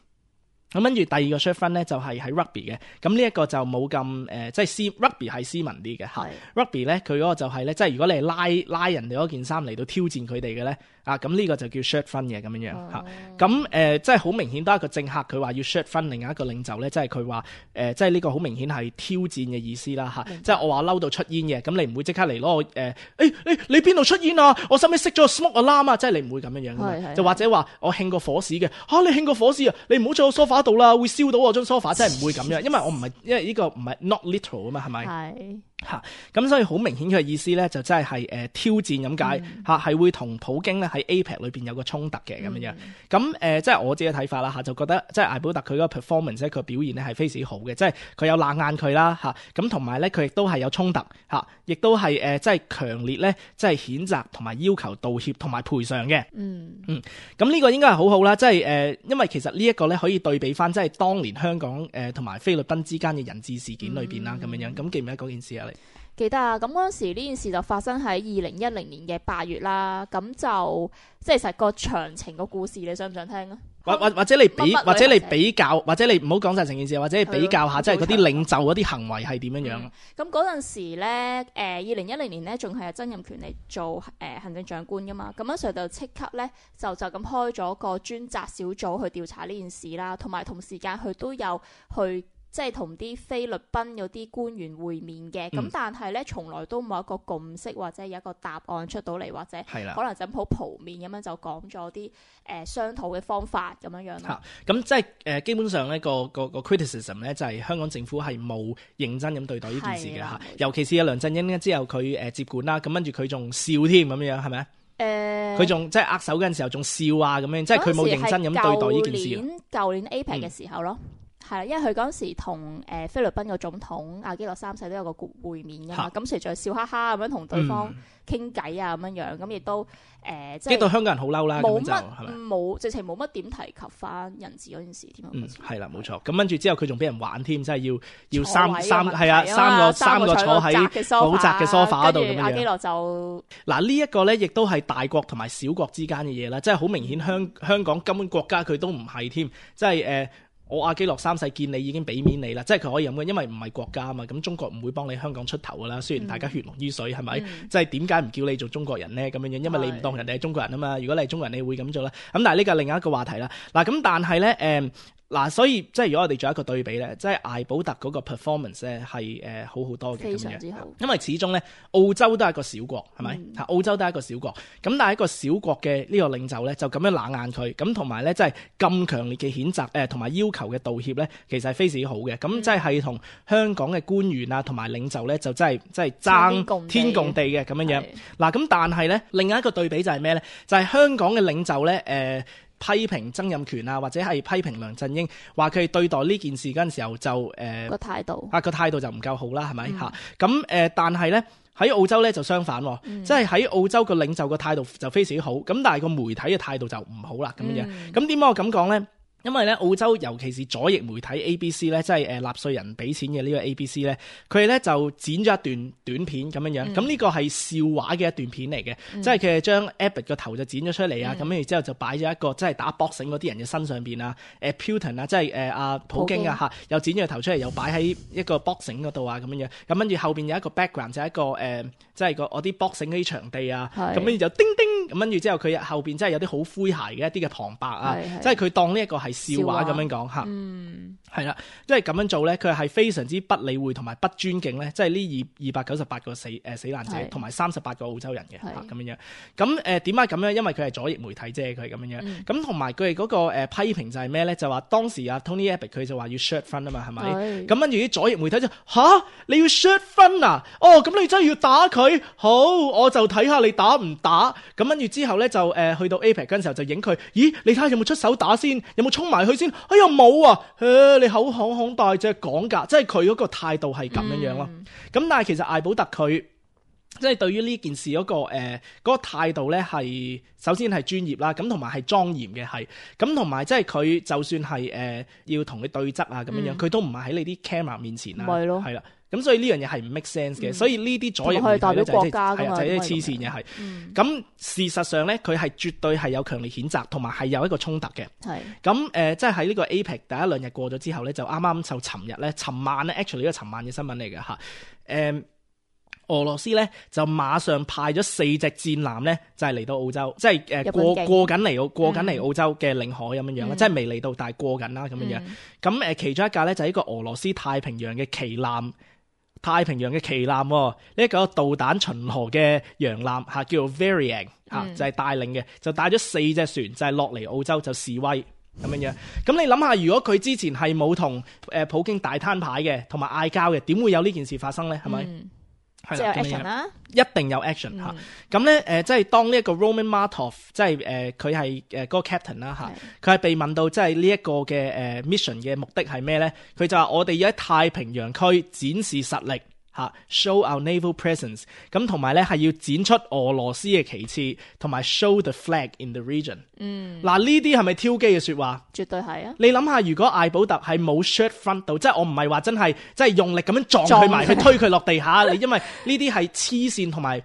咁跟住第二個 shirt front 咧就係喺 rugby 嘅，咁呢一個就冇咁誒，即係斯 rugby 係斯文啲嘅嚇。rugby 咧佢嗰個就係、是、咧，即係如果你係拉拉人哋嗰件衫嚟到挑戰佢哋嘅咧，啊咁呢個就叫 shirt front 嘅咁樣樣嚇。咁誒、呃、即係好明顯都係一個政客，佢話要 shirt front 另一個領袖咧，即係佢話誒，即係呢個好明顯係挑戰嘅意思啦嚇。啊、即係我話嬲到出煙嘅，咁你唔會即刻嚟攞我誒誒誒你邊度出煙啊？我使唔使熄咗個 smoke alarm啊？即係你唔會咁樣樣嘅嘛。就或者話我興個火屎嘅嚇，你興個火屎啊？你唔好坐我 sofa 度啦，會燒到我張 sofa， 真係唔會咁樣，因為我唔係，因為呢個唔係 not literal 啊嘛，係咪？係嚇，咁所以好明顯佢嘅意思咧，就真係係誒挑戰咁解嚇，係、嗯、會同普京咧喺 A P E C 裏邊有個衝突嘅咁樣樣。咁誒、呃，即係我自己嘅睇法啦嚇，就覺得即係艾保特佢嗰個 performance 咧，佢表現咧係非常好嘅，即係佢有冷眼佢啦嚇，咁同埋咧佢亦都係有衝突嚇，亦都係誒即係強烈咧，即係譴責同埋要求道歉同埋賠償嘅。嗯嗯，咁呢個應該係好好啦，即係誒、呃，因為其實呢一個咧可以對比翻即係當年香港誒同埋菲律賓之間嘅人質事件裏邊啦咁樣樣。咁記唔記得嗰件事啊？你記得啊，咁嗰陣時呢件事就發生喺二零一零年嘅八月啦，咁就即係實個詳情個故事，你想唔想聽啊？或或或者你比或者你比較，或者你唔好講晒成件事，或者你比較下，即係嗰啲領袖嗰啲行為係點樣樣？咁嗰陣時咧，誒二零一零年咧，仲係曾蔭權嚟做誒、呃、行政長官噶嘛，咁嗰時候就即刻咧就就咁開咗個專責小組去調查呢件事啦，同埋同時間佢都有去。即係同啲菲律賓嗰啲官員會面嘅，咁、嗯、但係咧從來都冇一個共識或者有一個答案出到嚟，或者可能就好鋪面咁樣就講咗啲誒商討嘅方法咁樣樣咯。咁即係誒、呃、基本上咧個個個 criticism 咧就係香港政府係冇認真咁對待呢件事嘅嚇，尤其是阿梁振英咧之後佢誒、呃、接管啦，咁跟住佢仲笑添咁樣係咪？誒，佢仲即係握手嗰陣時候仲笑啊咁樣，即係佢冇認真咁對待呢件事。舊年舊年 A P E C 嘅時候咯。嗯係啦，因為佢嗰陣時同誒菲律賓個總統阿基諾三世都有個會面㗎嘛，咁時就笑哈哈咁樣同對方傾偈啊咁樣樣，咁亦都誒即係激到香港人好嬲啦，冇乜冇直情冇乜點提及翻人質嗰件事添。嗯，係啦，冇錯。咁跟住之後佢仲俾人玩添，即係要要三三係啊三個三個坐喺好窄嘅 sofa 度咁樣。阿基諾就嗱呢一個咧，亦都係大國同埋小國之間嘅嘢啦，即係好明顯香香港根本國家佢都唔係添，即係誒。我阿基諾三世見你已經俾面你啦，即係佢可以咁嘅，因為唔係國家啊嘛，咁中國唔會幫你香港出頭噶啦。雖然大家血濃於水，係咪？嗯、即係點解唔叫你做中國人呢？咁樣樣，因為你唔當人哋係中國人啊嘛。如果你係中國人，你會咁做啦。咁但係呢個係另一個話題啦。嗱，咁但係咧，誒、嗯。嗱，所以即係如果我哋做一個對比咧，即係艾保特嗰個 performance 咧係誒好好多嘅，非常之好。因為始終咧澳洲都係一個小國，係咪？嚇、嗯，澳洲都係一個小國。咁但係一個小國嘅呢個領袖咧就咁樣冷眼佢，咁同埋咧即係咁強烈嘅譴責誒同埋要求嘅道歉咧，其實係非常之好嘅。咁即係係同香港嘅官員啊同埋領袖咧就真係真係爭天共地嘅咁樣樣。嗱，咁但係咧另外一個對比就係咩咧？就係、是、香港嘅領袖咧誒。呃批評曾蔭權啊，或者係批評梁振英，話佢哋對待呢件事嗰陣時候就誒個態度啊個態度就唔夠好啦，係咪嚇？咁誒、嗯呃，但係咧喺澳洲咧就相反，嗯、即係喺澳洲個領袖個態度就非常之好，咁但係個媒體嘅態度就唔好啦咁樣。咁點解我咁講咧？因為咧澳洲尤其是左翼媒體 A B C 咧，即係誒納稅人俾錢嘅呢個 A B C 咧，佢哋咧就剪咗一段短片咁樣樣。咁呢、嗯、個係笑話嘅一段片嚟嘅，嗯、即係佢係將 Abbott 個頭就剪咗出嚟啊，咁跟住之後就擺咗一個即係打 boxing 嗰啲人嘅身上邊啊，誒 Putin 啊，即係誒阿普京啊嚇，又剪咗個頭出嚟，又擺喺一個 boxing 嗰度啊咁樣樣。咁跟住後邊有一個 background 就係一個誒、呃，即係個我啲 boxing 嗰啲場地啊。咁跟住就叮叮，咁跟住之後佢後邊真係有啲好詼諧嘅一啲嘅旁白啊，即係佢當呢一個係笑話咁樣講嚇，係啦，即係咁樣做咧，佢係非常之不理會同埋不尊敬咧，即係呢二二百九十八個死誒、呃、死難者同埋三十八個澳洲人嘅嚇咁樣樣。咁誒點解咁樣？因為佢係左翼媒體啫，佢係咁樣樣。咁同埋佢哋嗰個誒、呃、批評就係咩咧？就話當時啊 Tony Abbott 佢就話要 short fund 啊嘛，係咪？咁跟住啲左翼媒體就吓，你要 short fund 啊？哦，咁你真係要打佢？好，我就睇下你打唔打。咁跟住之後咧就誒、呃、去到 A P E C 嗰陣時候就影佢，咦？你睇下有冇出手打先？有冇衝埋去先？哎呀冇啊！誒，你口響響大隻講㗎，即係佢嗰個態度係咁樣樣咯。咁、嗯、但係其實艾保特佢即係對於呢件事嗰、嗰個誒嗰、呃嗰個態度咧，係首先係專業啦，咁同埋係莊嚴嘅係，咁同埋即係佢就算係誒、呃、要同你對質啊咁樣樣，佢、嗯、都唔係喺你啲 camera 面前啊，係咯，係啦。咁所以呢樣嘢係唔 make sense 嘅，嗯、所以呢啲左翼媒體咧就係係就係啲黐線嘅係。咁、嗯、事實上咧，佢係絕對係有強烈譴責，同埋係有一個衝突嘅。係咁誒，即係喺呢個 A P E C 第一兩日過咗之後咧，就啱啱就尋日咧，尋晚咧 actually 呢個尋晚嘅新聞嚟嘅嚇。誒、呃，俄羅斯咧就馬上派咗四隻戰艦咧，就係、是、嚟到澳洲，即係誒、呃、過過緊嚟澳過緊嚟澳洲嘅領海咁樣樣啦，嗯、即係未嚟到，但係過緊啦咁樣樣。咁誒、嗯，其中一架咧就係一個俄羅斯太平洋嘅旗艦。太平洋嘅旗艦呢一個導彈巡河嘅洋艦嚇，叫做 Varian 嚇、嗯，就係、是、帶領嘅，就帶咗四隻船就係落嚟澳洲就示威咁樣樣。咁你諗下，如果佢之前係冇同誒普京大攤牌嘅，同埋嗌交嘅，點會有呢件事發生咧？係咪、嗯？即係有 action 啦，一定有 action 嚇、嗯。咁咧誒，即係當呢一個 Roman Martov，即係誒佢係誒嗰個 captain 啦嚇，佢係被問到即係呢一個嘅誒 mission 嘅目的係咩咧？佢就話我哋要喺太平洋區展示實力。嚇 show our naval presence， 咁同埋咧係要展出俄羅斯嘅旗幟，同埋 show the flag in the region。嗯，嗱呢啲係咪挑機嘅説話？絕對係啊！你諗下，如果艾保特係冇 short front 到，即係我唔係話真係即係用力咁樣撞佢埋去推佢落地下，你因為呢啲係黐線同埋。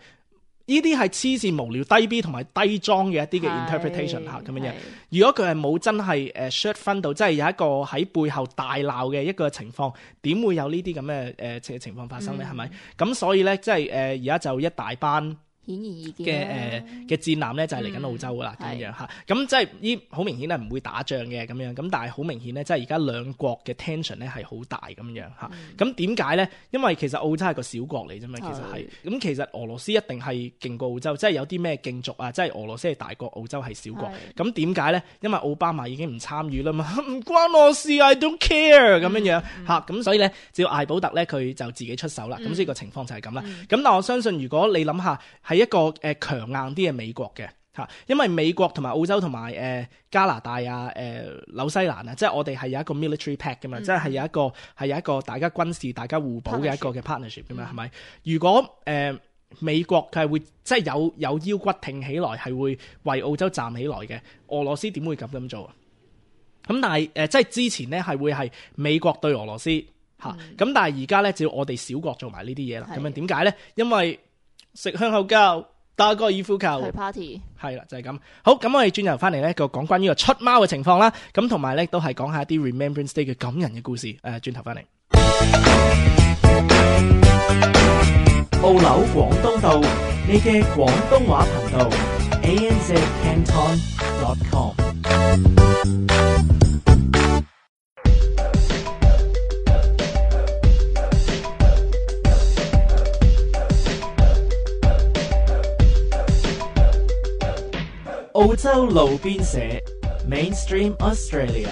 呢啲係黐線無聊低 B 同埋低裝嘅一啲嘅 interpretation 嚇咁樣樣。如果佢係冇真係誒 short fund 到，即係有一個喺背後大鬧嘅一個情況，點會有呢啲咁嘅誒情況發生咧？係咪、嗯？咁所以咧，即係誒而家就一大班顯而易見嘅誒嘅戰艦咧就係嚟緊澳洲噶啦，咁、嗯、樣嚇，咁即係呢好明顯係唔會打仗嘅咁樣，咁但係好明顯咧，即係而家兩國嘅 tension 咧係好大咁樣嚇。咁點解咧？因為其實澳洲係個小國嚟啫嘛，其實係。咁其實俄羅斯一定係勁過澳洲，即係有啲咩競逐啊，即係俄羅斯係大國，澳洲係小國。咁點解咧？因為奧巴馬已經唔參與啦嘛，唔關我事 ，I don't care 咁樣樣嚇。咁、嗯、所以咧，只要艾保特咧佢就自己出手啦。咁呢個情況就係咁啦。咁、嗯、但我相信如果你諗下係一個誒強硬啲嘅美國嘅嚇，因為美國同埋澳洲同埋誒加拿大啊、誒、呃、紐西蘭啊，即係我哋係有一個 military pact 嘅嘛，嗯、即係有一個係有一個大家軍事大家互補嘅一個嘅 partnership 嘅嘛，係咪、嗯？如果誒、呃、美國佢係會即係有有腰骨挺起來，係會為澳洲站起來嘅，俄羅斯點會咁咁做啊？咁但係誒、呃、即係之前咧係會係美國對俄羅斯嚇，咁、嗯、但係而家咧只要我哋小國做埋呢啲嘢啦，咁樣點解咧？因為食香口膠。打高爾夫球去 party 係啦，就係、是、咁。好，咁我哋轉頭翻嚟咧，個講關於個出貓嘅情況啦。咁同埋咧都係講下啲 Remembrance Day 嘅感人嘅故事。誒、呃，轉頭翻嚟。澳紐廣東道，你嘅廣東話頻道 a n z canton dot com。澳洲路邊社 Mainstream Australia。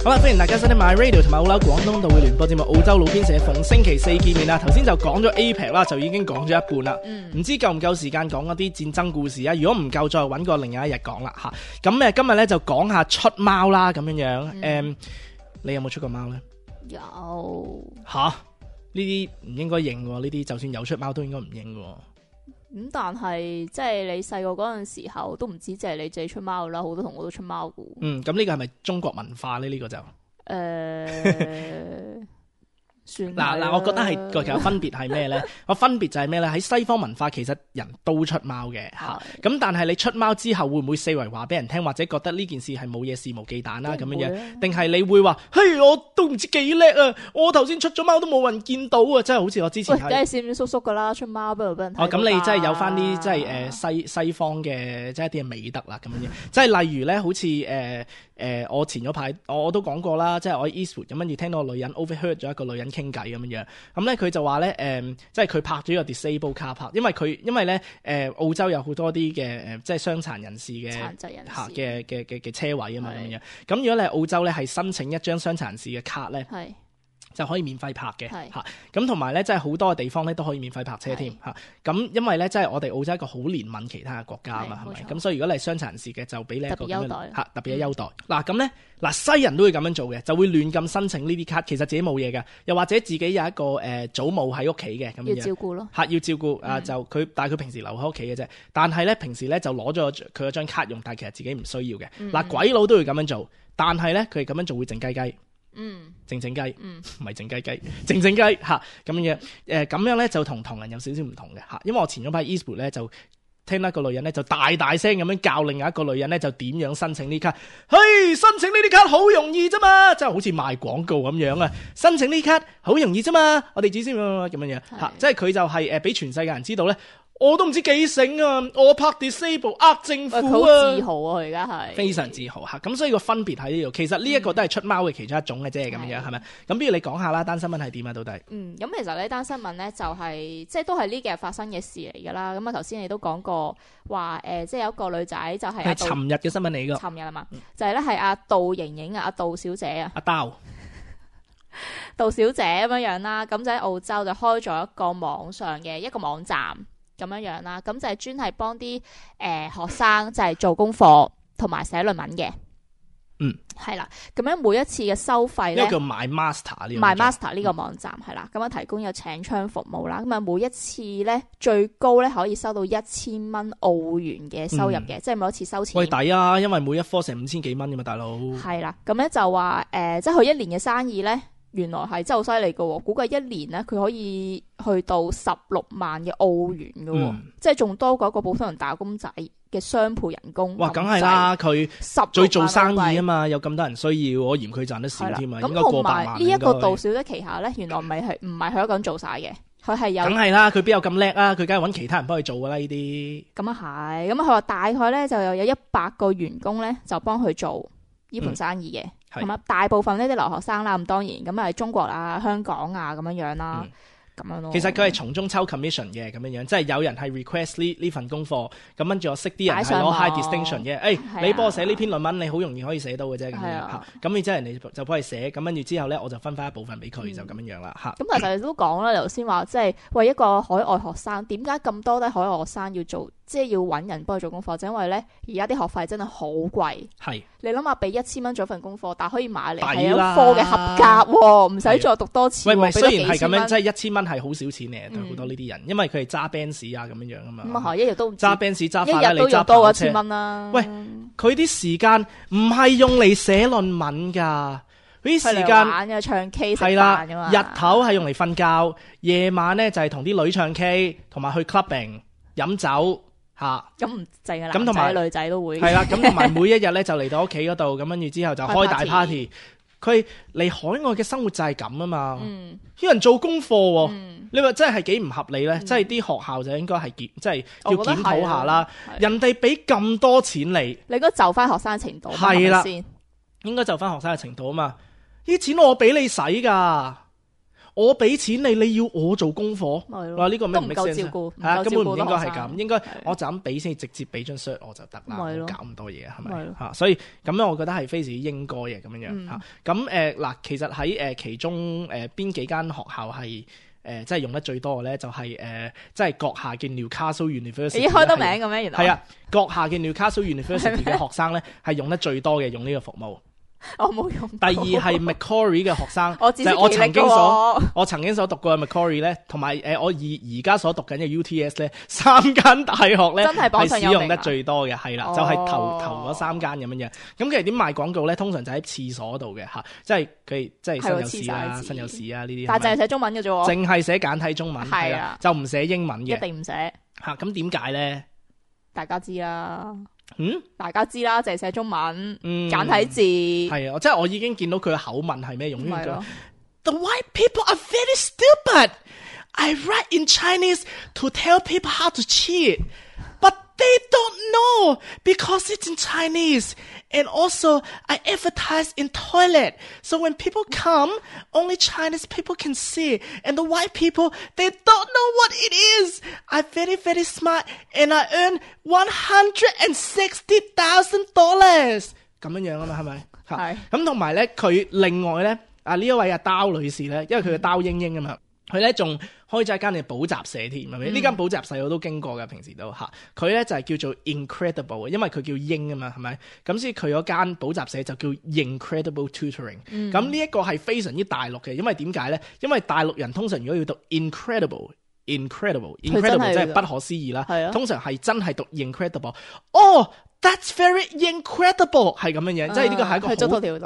好啦，歡迎大家收聽 My Radio 同埋澳紐廣東道嘅聯播節目澳洲路邊社，逢星期四見面啦。頭先就講咗 A P E C 啦，就已經講咗一半啦。唔、嗯、知夠唔夠時間講嗰啲戰爭故事啊？如果唔夠，再揾個另外一日講啦吓。咁誒，今日咧就講下出貓啦，咁樣樣。誒、嗯嗯，你有冇出過貓咧？有。吓？呢啲唔應該認喎，呢啲就算有出貓都應該唔認喎。咁、嗯、但係即係你細個嗰陣時候都唔止淨係你自己出貓啦，好多同學都出貓噶。嗯，咁呢個係咪中國文化咧？呢、這個就誒。呃嗱嗱，我覺得係個有分別係咩咧？個分別就係咩咧？喺西方文化其實人都出貓嘅嚇，咁但係你出貓之後會唔會四圍話俾人聽，或者覺得呢件事係冇嘢肆無忌憚啦咁樣樣？定係你會話嘿，我都唔知幾叻啊！我頭先出咗貓都冇人見到啊！真係好似我之前係，梗係閃閃縮縮噶啦，出貓不如俾人睇。哦，咁你真係有翻啲即係誒西西方嘅即係一啲嘅美德啦咁樣樣，即係例如咧，好似誒。呃誒、呃，我前咗排我都講過啦，即係我喺 Eastwood 咁跟住聽到個女人 overheard 咗一個女人傾偈咁樣樣，咁咧佢就話咧誒，即係佢拍咗個 disable car park，因為佢因為咧誒、呃、澳洲有好多啲嘅誒即係傷殘人士嘅殘疾人士嚇嘅嘅嘅嘅車位啊嘛咁樣，咁如果你係澳洲咧係申請一張傷殘人士嘅卡咧。就可以免費泊嘅嚇，咁同埋咧，即係好多嘅地方咧都可以免費泊車添嚇。咁因為咧，即係我哋澳洲一個好憐憫其他嘅國家啊嘛，係咪？咁所以如果你係傷殘人士嘅，就俾你一個咁樣嚇特別嘅優待。嗱咁咧，嗱西人都會咁樣做嘅，就會亂咁申請呢啲卡，其實自己冇嘢嘅，又或者自己有一個誒、呃、祖母喺屋企嘅咁樣。要照顧咯嚇，要照顧啊、嗯！就佢，但係佢平時留喺屋企嘅啫。但係咧，平時咧就攞咗佢嗰張卡用，但係其實自己唔需要嘅。嗱、嗯，鬼佬都會咁樣做，但係咧佢哋咁樣做會靜雞雞。嗯，靜靜雞，唔係靜雞雞，靜靜雞吓咁樣，誒、呃、咁樣咧就同唐人有少少唔同嘅吓，因為我前咗排 Eastwood 咧就聽到一個女人咧就大大聲咁樣教另外一個女人咧就點樣申請呢卡，嘿，申請呢啲卡好容易啫嘛，即係好似賣廣告咁樣啊，申請呢卡好容易啫嘛，我哋只先咁樣樣吓，即係佢就係誒俾全世界人知道咧。我都唔知幾醒啊！我拍 disable 呃政府啊！佢好自豪啊！佢而家係非常自豪吓，咁所以個分別喺呢度。其實呢一個都係出貓嘅其中一種嘅啫，咁、嗯、樣係咪？咁不如你講下啦，單新聞係點啊？到底？嗯，咁其實呢單新聞咧就係、是、即係都係呢幾日發生嘅事嚟噶啦。咁啊頭先你都講過話誒、呃，即係有一個女仔就係係尋日嘅新聞嚟噶。尋日啊嘛，就係咧係阿杜瑩瑩啊，阿杜小姐啊，阿刀杜小姐咁樣樣啦。咁就喺澳洲就開咗一個網上嘅一個網站。咁樣樣啦，咁就係專係幫啲誒學生就係做功課同埋寫論文嘅。嗯，係啦。咁樣每一次嘅收費咧，呢個叫 My Master 呢個 My Master 呢個網站係啦，咁樣提供有請槍服務啦。咁啊，每一次咧最高咧可以收到一千蚊澳元嘅收入嘅、嗯，即係每一次收錢。喂，抵啊！因為每一科成五千幾蚊噶嘛，大佬。係啦，咁咧就話誒、呃，即係佢一年嘅生意咧。原來係真係好犀利嘅，估計一年咧佢可以去到十六萬嘅澳元嘅、嗯，即係仲多過一個普通人打工仔嘅雙倍人工。哇，梗係啦，佢最做生意啊嘛，有咁多人需要，我嫌佢賺得少添啊，應該過百萬。咁同埋呢一個杜小姐旗下咧，原來唔係係唔係佢一個人做晒嘅，佢係有，梗係啦，佢邊有咁叻啊？佢梗係揾其他人幫佢做噶啦呢啲。咁啊係，咁佢話大概咧就有有一百個員工咧就幫佢做呢盤生意嘅，咁啊、嗯、大部分呢啲留學生啦，咁當然咁啊係中國啊、香港啊咁樣樣啦。嗯咁樣咯，其實佢係從中抽 commission 嘅咁樣樣，即係有人係 request 呢呢份功課，咁跟住我識啲人係攞 high distinction 嘅，誒、欸啊、你幫我寫呢篇論文，你好容易可以寫到嘅啫咁樣嚇，咁然之後人哋就幫佢寫，咁跟住之後咧我就分翻一部分俾佢、嗯、就咁樣樣啦嚇。咁其實你都講啦，頭先話即係為一個海外學生，點解咁多啲海外學生要做，即係要揾人幫佢做功課，就因為咧而家啲學費真係好貴。係。你諗下，俾一千蚊做份功課，但可以買嚟係一科嘅合格喎，唔使再讀多次。喂，唔係雖然係咁樣，即係一千蚊係好少錢嘅，對好多呢啲人，因為佢係揸 Benz 啊咁樣樣啊嘛。咁啊係，一日都揸 Benz 揸法拉利，一日都要多一千蚊啦。喂，佢啲時間唔係用嚟寫論文㗎，佢啲時間玩嘅唱 K 係啦，日頭係用嚟瞓覺，夜晚咧就係同啲女唱 K， 同埋去 clubbing 飲酒。吓，咁唔淨係男仔女仔都會係啦，咁同埋每一日咧就嚟到屋企嗰度，咁跟住之後就開大 party。佢嚟海外嘅生活就係咁啊嘛，嗯，啲人做功課，嗯，你話真係係幾唔合理咧？即係啲學校就應該係檢，即係要檢討下啦。人哋俾咁多錢你，你應該就翻學生程度係啦，應該就翻學生嘅程度啊嘛。呢啲錢我俾你使噶。我俾錢你，你要我做功課，哇！呢個咩唔夠照顧，係啊，根本唔應該係咁，應該我就咁俾先，直接俾張 cert 我就得啦，唔搞咁多嘢係咪嚇？所以咁樣我覺得係非常之應該嘅咁樣樣嚇。咁誒嗱，其實喺誒其中誒邊幾間學校係誒即係用得最多嘅咧，就係誒即係閣下嘅 Newcastle University。咦，開得名嘅咩？原來係啊，閣下嘅 Newcastle University 嘅學生咧係用得最多嘅，用呢個服務。我冇用。第二係 Macquarie 嘅學生，就係我曾經所我曾經所讀過嘅 Macquarie 咧，同埋誒我而而家所讀緊嘅 U T S 咧，三間大學咧係使用得最多嘅，係啦，就係頭頭嗰三間咁樣樣。咁其實點賣廣告咧？通常就喺廁所度嘅嚇，即係佢即係身有事啊、身有事啊呢啲。但係淨係寫中文嘅啫喎，淨係寫簡體中文係啊，就唔寫英文嘅，一定唔寫嚇。咁點解咧？大家知啦。嗯，大家知啦，就係寫中文，嗯、簡體字。係啊，即係我已經見到佢嘅口吻係咩用呢個 The white people are very stupid. I write in Chinese to tell people how to cheat, but they don't know because it's in Chinese. And also, I advertise in toilet, so when people come, only Chinese people can see. And the white people, they don't know what it is. I'm very, very smart, and I earn one hundred sixty thousand dollars. 咁樣樣啊嘛，係咪？係。咁同埋咧，佢另外咧，啊呢一位阿刀女士咧，因為佢嘅刀英英啊嘛。佢咧仲開咗一間嘅補習社添，係咪？呢間補習社我都經過嘅，平時都嚇。佢咧就係叫做 Incredible，因為佢叫英啊嘛，係咪？咁所以佢嗰間補習社就叫 Incredible Tutoring。咁呢一個係非常之大陸嘅，因為點解咧？因為大陸人通常如果要讀 Incredible，Incredible，Incredible 即係不可思議啦。通常係真係讀 Incredible。哦。That's very incredible， 係咁樣樣，即係呢個係一個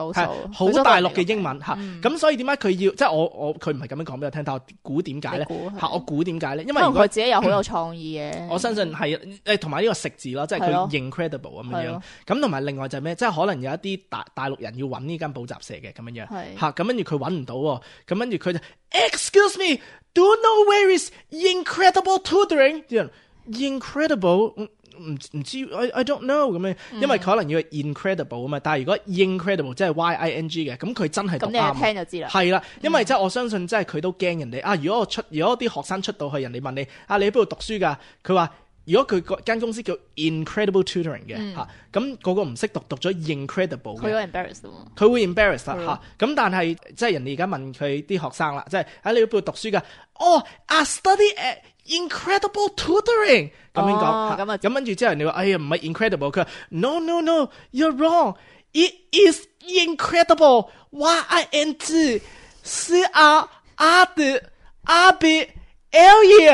好係好大陸嘅英文嚇。咁所以點解佢要即係我我佢唔係咁樣講俾我聽，但我估點解咧嚇？我估點解咧？因為佢自己又好有創意嘅。我相信係誒同埋呢個食字咯，即係佢 incredible 咁樣樣。咁同埋另外就係咩？即係可能有一啲大大陸人要揾呢間補習社嘅咁樣樣嚇。咁跟住佢揾唔到喎，咁跟住佢就 Excuse me，do you know where is incredible tutoring？ 啲人 incredible。唔唔知 I I don't know 咁樣，因為佢可能要 incredible 啊嘛，但係如果 incredible 即係 Y I N G 嘅，咁佢真係讀啱。咁你一聽就知啦。係啦，因為即係我相信，即係佢都驚人哋啊！如果我出，如果啲學生出到去，人哋問你啊，你喺邊度讀書㗎？佢話如果佢間公司叫 Incredible Tutoring 嘅嚇，咁嗰個唔識讀，讀咗 incredible 嘅，佢會 embarrass 咯。佢會 embarrass 啦嚇。咁但係即係人哋而家問佢啲學生啦，即係啊，你喺邊度讀書㗎？哦 I study at Incredible Tutoring 咁樣講，咁啊，咁跟住之後人哋話：哎呀，唔係 incredible， 佢話 No no no，you're wrong，it is incredible，Y I N G C R R D R B L E，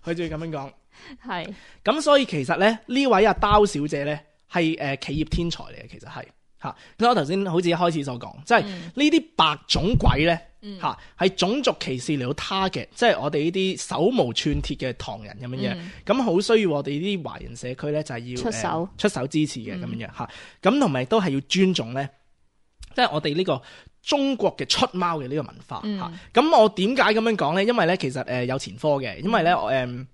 佢就要咁樣講。係。咁所以其實咧，呢位阿刀小姐咧係誒企業天才嚟嘅，其實係嚇。咁我頭先好似一開始所講，即係呢啲白種鬼咧。嚇，係、嗯、種族歧視嚟到 target，即係我哋呢啲手無寸鐵嘅唐人咁樣樣，咁好、嗯、需要我哋呢啲華人社區咧就係要出手、呃、出手支持嘅咁樣樣嚇，咁同埋都係要尊重咧即係我哋呢個中國嘅出貓嘅呢個文化嚇。咁、嗯、我點解咁樣講咧？因為咧其實誒、呃、有前科嘅，因為咧我誒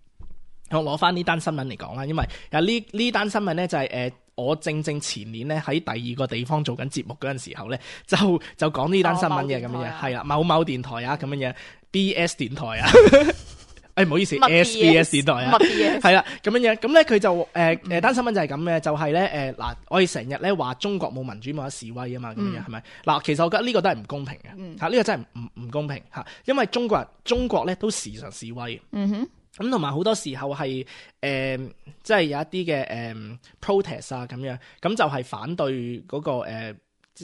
我攞翻呢單新聞嚟講啦，因為有呢呢單新聞咧就係、是、誒。呃我正正前年咧喺第二個地方做緊節目嗰陣時候咧，就就講呢單新聞嘅咁樣，係啦，某某電台啊咁樣樣 ，B S 電台啊，誒唔好意思 ，S B S 電台啊，係啦咁樣樣，咁咧佢就誒誒單新聞就係咁嘅，就係咧誒嗱，我哋成日咧話中國冇民主冇得示威啊嘛，咁樣係咪？嗱，其實我覺得呢個都係唔公平嘅，嚇呢個真係唔唔公平嚇，因為中國人中國咧都時常示威。嗯哼。咁同埋好多時候係誒、呃，即係有一啲嘅誒 protest 啊咁樣，咁就係反對嗰、那個誒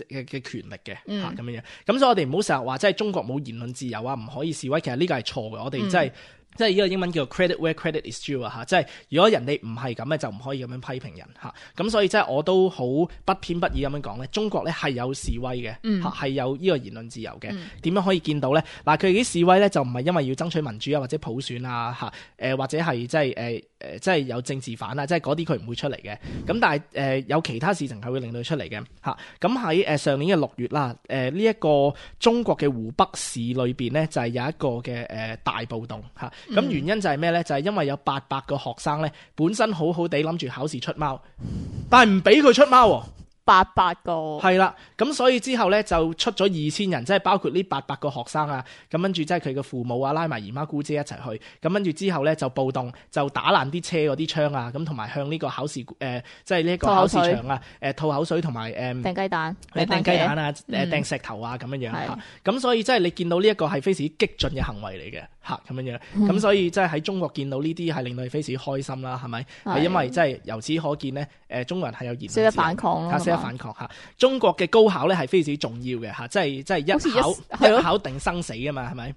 嘅嘅權力嘅嚇咁樣。咁所以我哋唔好成日話即係中國冇言論自由啊，唔可以示威。其實呢個係錯嘅，我哋真係。嗯即係呢個英文叫做 credit where credit is due 啊嚇，即係如果人哋唔係咁咧，就唔可以咁樣批評人嚇。咁所以即係我都好不偏不倚咁樣講咧，中國咧係有示威嘅嚇，係、嗯、有呢個言論自由嘅。點、嗯、樣可以見到咧？嗱，佢哋啲示威咧就唔係因為要爭取民主啊，或者普選啊嚇，誒、呃、或者係即係誒誒即係有政治犯啊，即係嗰啲佢唔會出嚟嘅。咁但係誒、呃、有其他事情係會令到佢出嚟嘅嚇。咁喺誒上年嘅六月啦，誒呢一個中國嘅湖北市裏邊咧就係、是、有一個嘅誒、呃、大暴動嚇。咁、嗯、原因就係咩咧？就係、是、因為有八百個學生咧，本身好好地諗住考試出貓，但係唔俾佢出貓喎。八百個係啦，咁所以之後咧就出咗二千人，即係包括呢八百個學生啊，咁跟住即係佢嘅父母啊，拉埋姨媽姑姐一齊去，咁跟住之後咧就暴動，就打爛啲車嗰啲窗啊，咁同埋向呢個考試誒、呃，即係呢一個考試場啊，誒吐口水同埋誒掟雞蛋，誒掟雞蛋啊，誒、嗯、掟石頭啊咁樣樣嚇，咁所以即係你見到呢一個係非常之激進嘅行為嚟嘅嚇，咁樣樣，咁、嗯、所以即係喺中國見到呢啲係令到你非常之開心啦，係咪？係因為即係由此可見咧，誒中國人係有言論自由，識得反抗咯，識得反抗嚇。中國嘅高考咧係非常之重要嘅嚇，即係即係一考一,一考定生死㗎嘛，係咪？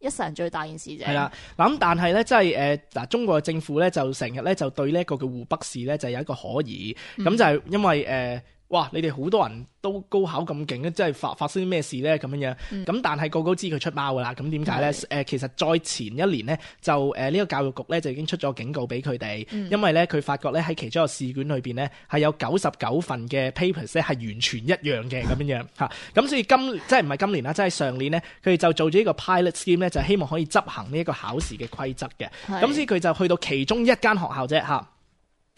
一世人最大件事啫。係啦，嗱咁但係咧，即係誒嗱，中國嘅政府咧就成日咧就對呢一個嘅湖北市咧就有一個可疑，咁、嗯、就係因為誒。呃哇！你哋好多人都高考咁勁咧，即係發發生啲咩事咧咁樣樣？咁、嗯、但係個個都知佢出貓噶啦，咁點解咧？誒、呃，其實再前一年咧，就誒呢、呃這個教育局咧就已經出咗警告俾佢哋，因為咧佢發覺咧喺其中一個試卷裏邊咧係有九十九份嘅 papers 咧係完全一樣嘅咁樣樣嚇。咁所以今即係唔係今年啦，即係上年咧，佢哋就做咗呢個 pilot scheme 咧，就希望可以執行呢一個考試嘅規則嘅。咁所以佢就去到其中一間學校啫嚇。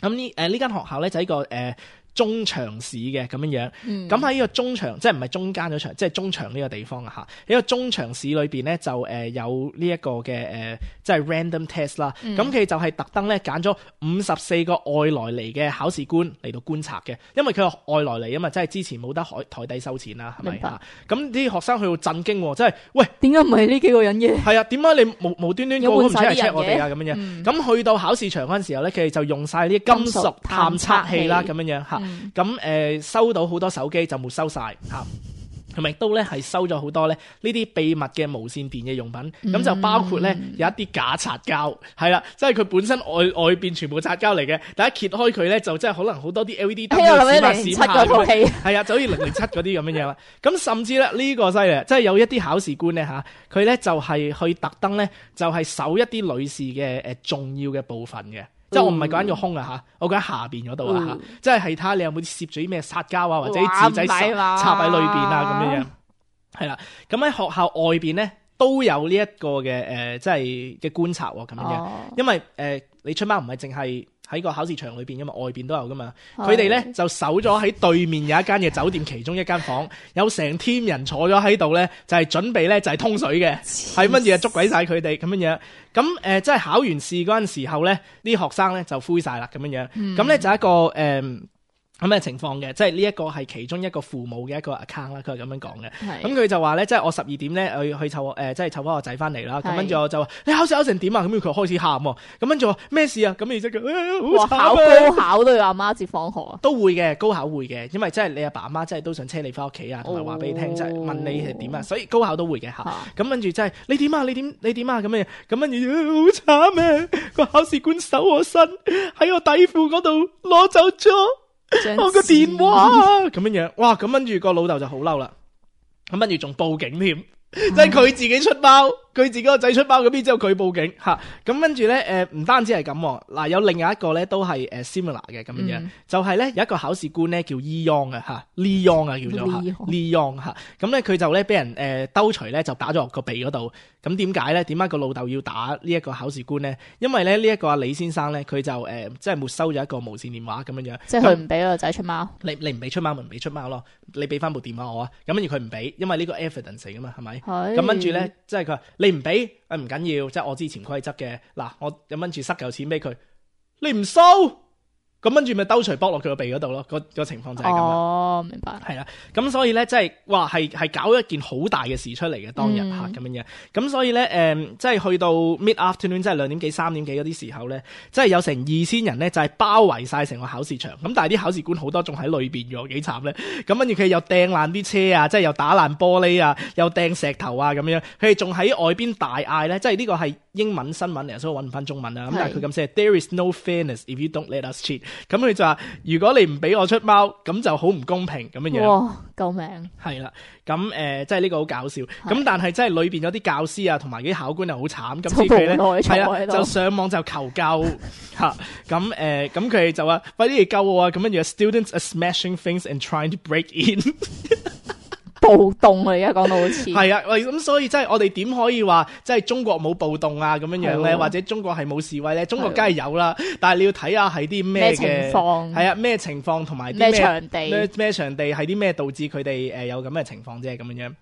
咁呢誒呢間學校咧就係一個誒。呃中場市嘅咁樣樣，咁喺呢個中場，即係唔係中間嗰場，即係中場呢個地方啊嚇。喺個中場市裏邊咧，就誒有呢一個嘅誒，即係 random test 啦。咁佢就係特登咧揀咗五十四個外來嚟嘅考試官嚟到觀察嘅，因為佢係外來嚟啊嘛，即係之前冇得海台底收錢啦，係咪啊？咁啲學生去到震驚喎，即係喂，點解唔係呢幾個人嘅？係啊，點解你無無端端個個唔出嚟 check 我哋啊？咁樣樣，咁、嗯、去到考試場嗰陣時候咧，佢哋就用晒呢啲金屬探測器啦，咁樣樣嚇。咁誒、呃、收到好多手機就沒收晒，嚇，同埋亦都咧係收咗好多咧呢啲秘密嘅無線電嘅用品，咁、嗯、就包括咧有一啲假擦膠，係啦，即係佢本身外外邊全部擦膠嚟嘅，但一揭開佢咧就即係可能好多啲 L E D 燈閃下閃下咁樣，係啊，就好似零零七嗰啲咁樣樣啦。咁甚至咧呢個犀利，即係有一啲考試官咧嚇，佢咧就係去特登咧就係搜一啲女士嘅誒重要嘅部分嘅。即係我唔係講緊個胸啊嚇，我講緊下邊嗰度啊嚇，即係係睇下你有冇攝住啲咩擦膠啊，或者啲紙仔插喺裏邊啊咁樣樣，係啦。咁喺學校外邊咧都有呢一個嘅誒、呃，即係嘅觀察喎咁樣樣，因為誒、呃、你出貓唔係淨係喺個考試場裏邊噶嘛，外邊都有噶嘛。佢哋咧就守咗喺對面有一間嘅酒店其中一間房，有成 team 人坐咗喺度咧，就係、是、準備咧就係、是、通水嘅，係乜嘢捉鬼晒佢哋咁樣樣。咁誒、呃，即係考完試嗰陣時候咧，啲學生咧就灰晒啦咁樣樣。咁、嗯、咧就一個誒。呃咁嘅情況嘅，即係呢一個係其中一個父母嘅一個 account 啦，佢係咁樣講嘅。咁佢就話咧，即係我十二點咧去去湊誒，即係湊翻個仔翻嚟啦。咁跟住我就話：你考試考成點啊？咁佢開始喊喎。咁跟住話咩事啊？咁然之後佢好慘啊！考高考都要阿媽接放學啊？都會嘅，高考會嘅，因為即係你阿爸阿媽即係都想車你翻屋企啊，同埋話俾你聽，即係問你係點啊。所以高考都會嘅嚇。咁跟住即係你點啊？你點你點啊？咁樣咁跟住好慘啊！個考試官搜我身喺我底褲嗰度攞走咗我個電話咁樣樣，哇！咁跟住個老豆就好嬲啦，咁跟住仲報警添，即係佢自己出貓，佢自己個仔出貓，咁邊之後佢報警嚇，咁跟住咧誒唔單止係咁，嗱有另外一個咧都係誒 similar 嘅咁樣，嗯、就係咧有一個考試官咧叫 Leon 啊嚇 Leon 啊叫做嚇 Leon 嚇，咁咧佢就咧俾人誒兜錘咧就打咗落個鼻嗰度，咁點解咧？點解個老豆要打呢一個考試官咧？因為咧呢一個阿李先生咧佢就誒即係沒收咗一個無線電話咁樣樣，即係佢唔俾個仔出貓，你你唔俾出貓咪唔俾出貓咯，你俾翻部電話我啊，咁跟住佢唔俾，因為呢個 evidence 嚟噶嘛，係咪？咁跟住咧，即係佢話你唔俾，誒唔緊要，即係我之前規則嘅，嗱我咁跟住塞嚿錢俾佢，你唔收。咁跟住咪兜錘剝落佢個鼻嗰度咯，個個情況就係咁啦。哦，明白。係啦，咁所以咧，即係哇，係係搞一件好大嘅事出嚟嘅當日嚇咁樣樣。咁所以咧，誒、呃，即係去到 mid afternoon，即係兩點幾、三點幾嗰啲時候咧，即係有成二千人咧，就係包圍晒成個考試場。咁但係啲考試官好多仲喺裏邊嘅，幾慘咧。咁跟住佢又掟爛啲車啊，即係又打爛玻璃啊，又掟石頭啊咁樣。佢哋仲喺外邊大嗌咧，即係呢個係英文新聞嚟，所以我揾唔翻中文啊。咁但係佢咁寫 ，There is no fairness if you don't let us cheat。咁佢就話：如果你唔俾我出貓，咁就好唔公平咁樣樣。哇！救命！係啦，咁誒、呃，即係呢個好搞笑。咁但係即係裏邊有啲教師啊，同埋啲考官又好慘。咁所以佢咧係啊，就上網就求救嚇。咁誒、呃，咁佢哋就話：快啲嚟救我啊！咁跟住 students are smashing things and trying to break in。暴動啊！而家講到好似係啊，咁所以即係我哋點可以話即係中國冇暴動啊咁樣樣咧，或者中國係冇示威咧？中國梗係有啦，但係你要睇下係啲咩嘅情況，係啊咩情況同埋啲咩場地咩咩場地係啲咩導致佢哋誒有咁嘅情況啫咁樣樣。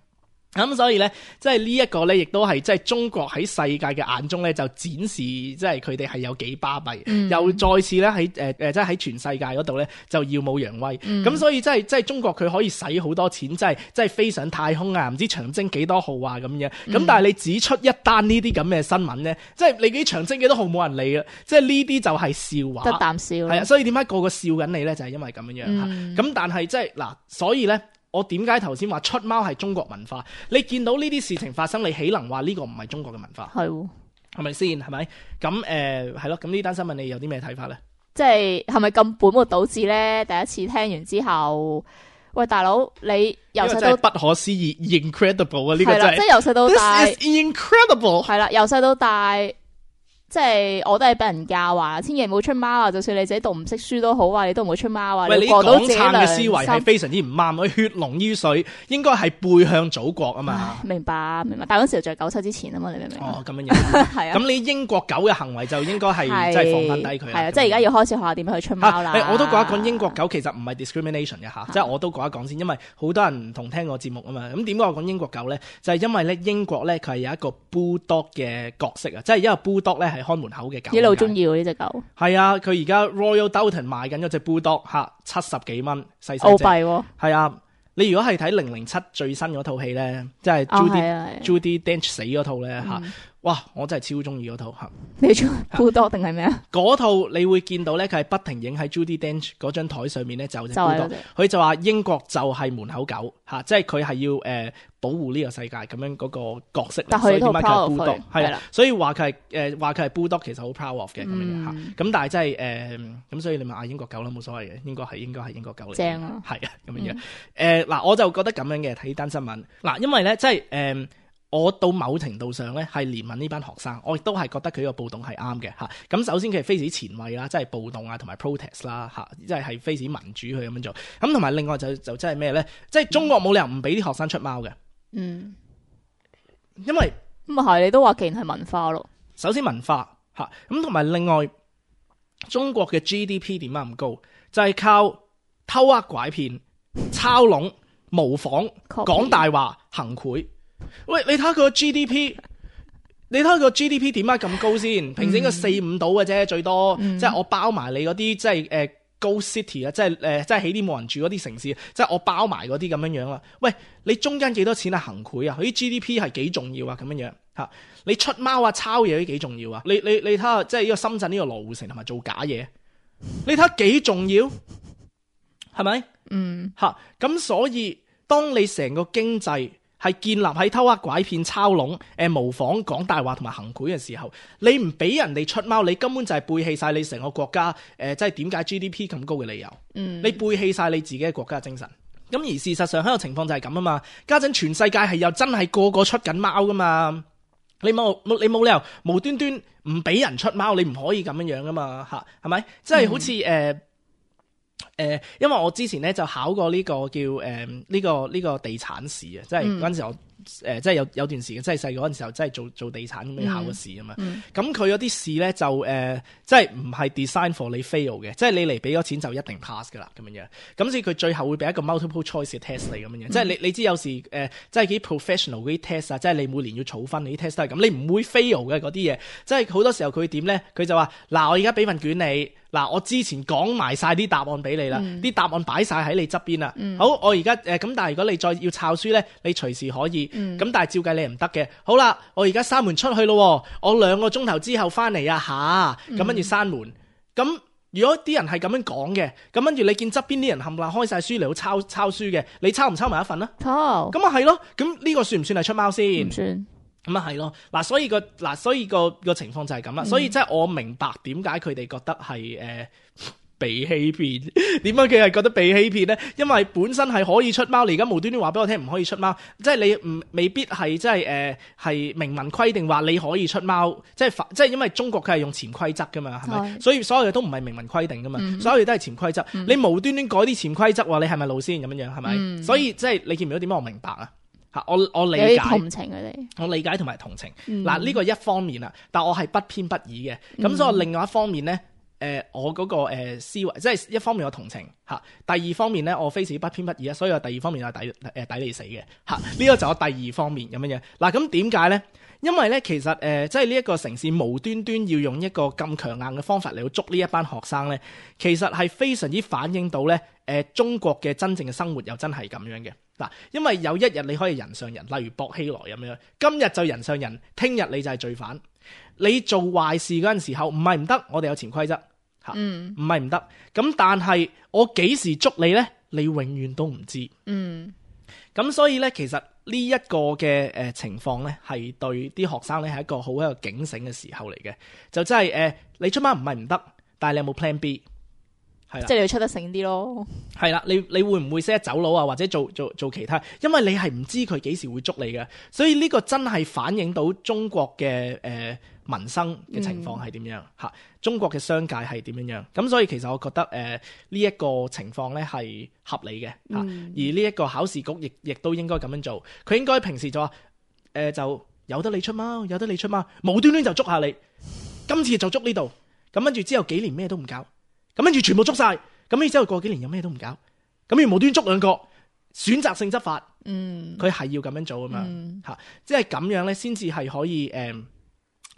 咁、嗯、所以咧，即係呢一個咧，亦都係即係中國喺世界嘅眼中咧，就展示即係佢哋係有幾巴閉，嗯、又再次咧喺誒誒，即係喺全世界嗰度咧就耀武揚威。咁、嗯、所以即係即係中國佢可以使好多錢，即係即係飛上太空啊，唔知長征幾多號啊咁樣。咁、嗯、但係你只出一單呢啲咁嘅新聞咧，即係你啲長征幾多號冇人理啊！即係呢啲就係笑話，得啖笑。係啊，所以點解個個笑緊你咧？就係、是、因為咁樣樣嚇。咁、嗯、但係即係嗱，所以咧。我點解頭先話出貓係中國文化？你見到呢啲事情發生，你豈能話呢個唔係中國嘅文化？係喎，係咪先？係咪？咁誒係咯。咁呢單新聞你有啲咩睇法咧？即係係咪咁本末倒置咧？第一次聽完之後，喂大佬，你由細到不可思議 ，incredible 啊！呢個真係即係由細到大 ，This is incredible。係啦，由細到大。即係我都係俾人教話，千祈唔好出貓啊！就算你自己讀唔識書都好啊，你都唔好出貓啊！喂，你過到自己講撐嘅思維係非常之唔啱，血濃於水，應該係背向祖國啊嘛。明白明白，但係嗰時就係九七之前啊嘛，你明唔明？哦，咁樣樣係啊。咁你英國狗嘅行為就應該係即係放翻低佢。係啊，即係而家要開始學下點樣去出貓啦。我都講一講英國狗其實唔係 discrimination 嘅嚇，即係我都講一講先，因為好多人唔同聽我節目啊嘛。咁點解我講英國狗咧？就係因為咧英國咧佢係有一個 bulldog 嘅角色啊，即係因為 bulldog 咧係看門口嘅狗。一路中意喎呢隻狗，係啊！佢而家 Royal Doulton 賣緊嗰隻 Bulldog 嚇，七十幾蚊，細細隻。澳幣喎。係啊！你如果係睇零零七最新嗰套戲咧，即係 Judy Judy Dench 死嗰套咧嚇，哇！我真係超中意嗰套嚇。你中意 Bulldog 定係咩啊？嗰套你會見到咧，佢係不停影喺 Judy Dench 嗰張台上面咧，就隻 Bulldog。佢就話英國就係門口狗嚇，即係佢係要誒。呃保護呢個世界咁樣嗰個角色，所以點解佢係 Bulldog？係啦，所以話佢係誒話佢係 Bulldog，其實好 proud of 嘅咁樣嚇。咁但係真係誒咁，所以你咪嗌英國狗啦，冇所謂嘅，應該係應該係英國狗嚟。正啊，係啊咁樣樣。誒嗱，我就覺得咁樣嘅睇呢單新聞嗱，因為咧即係誒，我到某程度上咧係憐憫呢班學生，我亦都係覺得佢呢個暴動係啱嘅嚇。咁首先佢係非常之前衛啦，即係暴動啊同埋 protest 啦嚇，即係係非常之民主去咁樣做。咁同埋另外就就真係咩咧？即係中國冇理由唔俾啲學生出貓嘅。嗯，因為咁啊係，你都話既然係文化咯。首先文化吓，咁同埋另外，中國嘅 G D P 點解咁高？就係、是、靠偷呃拐騙、抄籠、模仿、講大話、行賄。喂，你睇下佢個 G D P， 你睇下佢個 G D P 點解咁高先？平時應該四五到嘅啫，最多。嗯、即係我包埋你嗰啲，即係誒。呃Go City 啊，即係誒，即係起啲冇人住嗰啲城市，即係我包埋嗰啲咁樣樣啦。喂，你中間幾多錢啊？行賄啊，佢啲 G D P 係幾重要啊？咁樣樣嚇，你出貓啊、抄嘢都幾重要啊？你你你睇下，即係呢個深圳呢個羅湖城同埋做假嘢，你睇下幾重要，係咪？嗯，嚇，咁所以當你成個經濟係建立喺偷呃拐騙、抄籠、誒模仿、講大話同埋行賄嘅時候，你唔俾人哋出貓，你根本就係背棄晒你成個國家誒，即係點解 G D P 咁高嘅理由。嗯，你背棄晒你自己嘅國家嘅精神。咁而事實上喺個情況就係咁啊嘛，家陣全世界係又真係個個出緊貓噶嘛。你冇你冇理由無端端唔俾人出貓，你唔可以咁樣樣噶嘛嚇，係咪？即係好似誒。嗯誒、呃，因為我之前咧就考過呢個叫誒呢、呃這個呢、這個地產試啊，即係嗰陣時我誒、呃、即係有有段時間，即係細個嗰陣時候，即係做做地產咁樣考個試啊嘛。咁佢嗰啲試咧就誒、呃，即係唔係 design for 你 fail 嘅，即係你嚟俾咗錢就一定 pass 噶啦咁樣樣。咁所以佢最後會俾一個 multiple choice 嘅 test 你咁樣樣，嗯、即係你你知有時誒、呃，即係幾 professional 嗰啲 test 啊，即係你每年要儲分，你啲 test 都係咁，你唔會 fail 嘅嗰啲嘢。即係好多時候佢點咧？佢就話嗱，我而家俾份卷你。嗱，我之前講埋晒啲答案俾你啦，啲、嗯、答案擺晒喺你側邊啦。嗯、好，我而家誒咁，但係如果你再要抄書咧，你隨時可以。咁、嗯、但係照計你唔得嘅。好啦，我而家閂門出去咯，我兩個鐘頭之後翻嚟啊吓，咁跟住閂門。咁如果啲人係咁樣講嘅，咁跟住你見側邊啲人冚唪唥開晒書嚟到抄抄書嘅，你抄唔抄埋一份啊？抄。咁啊係咯，咁呢個算唔算係出貓先？唔算。咁啊係咯，嗱所以個嗱所以個個情況就係咁啦，所以即係我明白點解佢哋覺得係誒、呃、被欺騙，點解佢係覺得被欺騙咧？因為本身係可以出貓，你而家無端端話俾我聽唔可以出貓，即係你唔未必係即係誒係明文規定話你可以出貓，即係即係因為中國佢係用潛規則噶嘛，係咪？所以所有嘢都唔係明文規定噶嘛，嗯、所有嘢都係潛規則，嗯、你無端端改啲潛規則話你係咪路先咁樣樣係咪？嗯、所以即係你見唔到點解我明白啊？吓，我我理解，同情佢哋，我理解同埋同情。嗱、嗯，呢個一方面啦，但我係不偏不倚嘅。咁、嗯、所以我另外一方面咧，誒、呃，我嗰個誒思維，即係一方面我同情吓，第二方面咧，我非常不偏不倚啊。所以我第二方面係抵誒抵你死嘅吓。呢、這個就我第二方面咁樣樣。嗱，咁點解咧？因為咧，其實誒、呃，即係呢一個城市無端端要用一個咁強硬嘅方法嚟到捉呢一班學生咧，其實係非常之反映到咧，誒、呃，中國嘅真正嘅生活又真係咁樣嘅。嗱，因為有一日你可以人上人，例如薄熙來咁樣，今日就人上人，聽日你就係罪犯。你做壞事嗰陣時候，唔係唔得，我哋有潛規則嚇，唔係唔得。咁但係我幾時捉你咧？你永遠都唔知。嗯，咁所以咧，其實呢一個嘅誒情況咧，係對啲學生咧係一個好一個警醒嘅時候嚟嘅。就真係誒，你出貓唔係唔得，但係你有冇 plan B？係啦，即係你要出得醒啲咯。係啦，你你會唔會識得走佬啊，或者做做做其他？因為你係唔知佢幾時會捉你嘅，所以呢個真係反映到中國嘅誒、呃、民生嘅情況係點樣吓，嗯、中國嘅商界係點樣樣。咁所以其實我覺得誒呢一個情況咧係合理嘅吓，嗯、而呢一個考試局亦亦都應該咁樣做。佢應該平時就話誒、呃、就由得你出貓，由得你出貓，無端端就捉下你。今次就捉呢度，咁跟住之後幾年咩都唔搞。咁跟住全部捉晒，咁然之後過幾年有咩都唔搞，咁要無端捉兩個，選擇性執法，嗯，佢係要咁樣做啊嘛，吓、嗯，即係咁樣咧，先至係可以誒，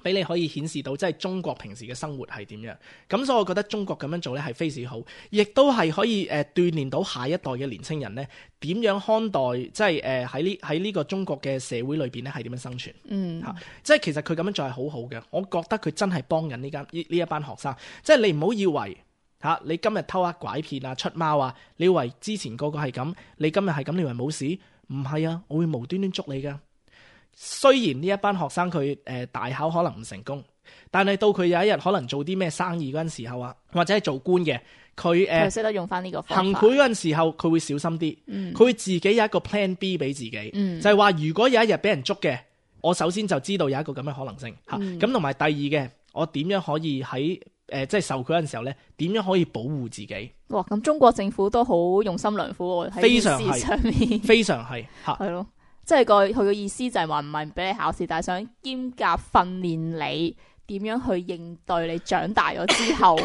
俾、呃、你可以顯示到即係中國平時嘅生活係點樣，咁所以我覺得中國咁樣做咧係非常好，亦都係可以誒鍛煉到下一代嘅年青人咧，點樣看待即係誒喺呢喺呢個中國嘅社會裏邊咧係點樣生存，嗯，吓，即係其實佢咁樣做係好好嘅，我覺得佢真係幫緊呢間呢呢一班學生，即係你唔好以為。吓！你今日偷呃拐騙啊、出貓啊，你以為之前個個係咁，你今日係咁，你以為冇事？唔係啊，我會無端端捉你噶。雖然呢一班學生佢誒、呃、大考可能唔成功，但係到佢有一日可能做啲咩生意嗰陣時候啊，或者係做官嘅，佢誒識得用翻呢個方法行賄嗰陣時候，佢會小心啲，佢、嗯、會自己有一個 plan B 俾自己，嗯、就係話如果有一日俾人捉嘅，我首先就知道有一個咁嘅可能性嚇。咁同埋第二嘅，我點樣可以喺誒、呃，即係受佢嗰陣時候咧，點樣可以保護自己？哇！咁中國政府都好用心良苦喎，喺呢事上面，非常係嚇，係咯，即係個佢嘅意思就係話唔係唔俾你考試，但係想兼夾訓練你點樣去應對你長大咗之後。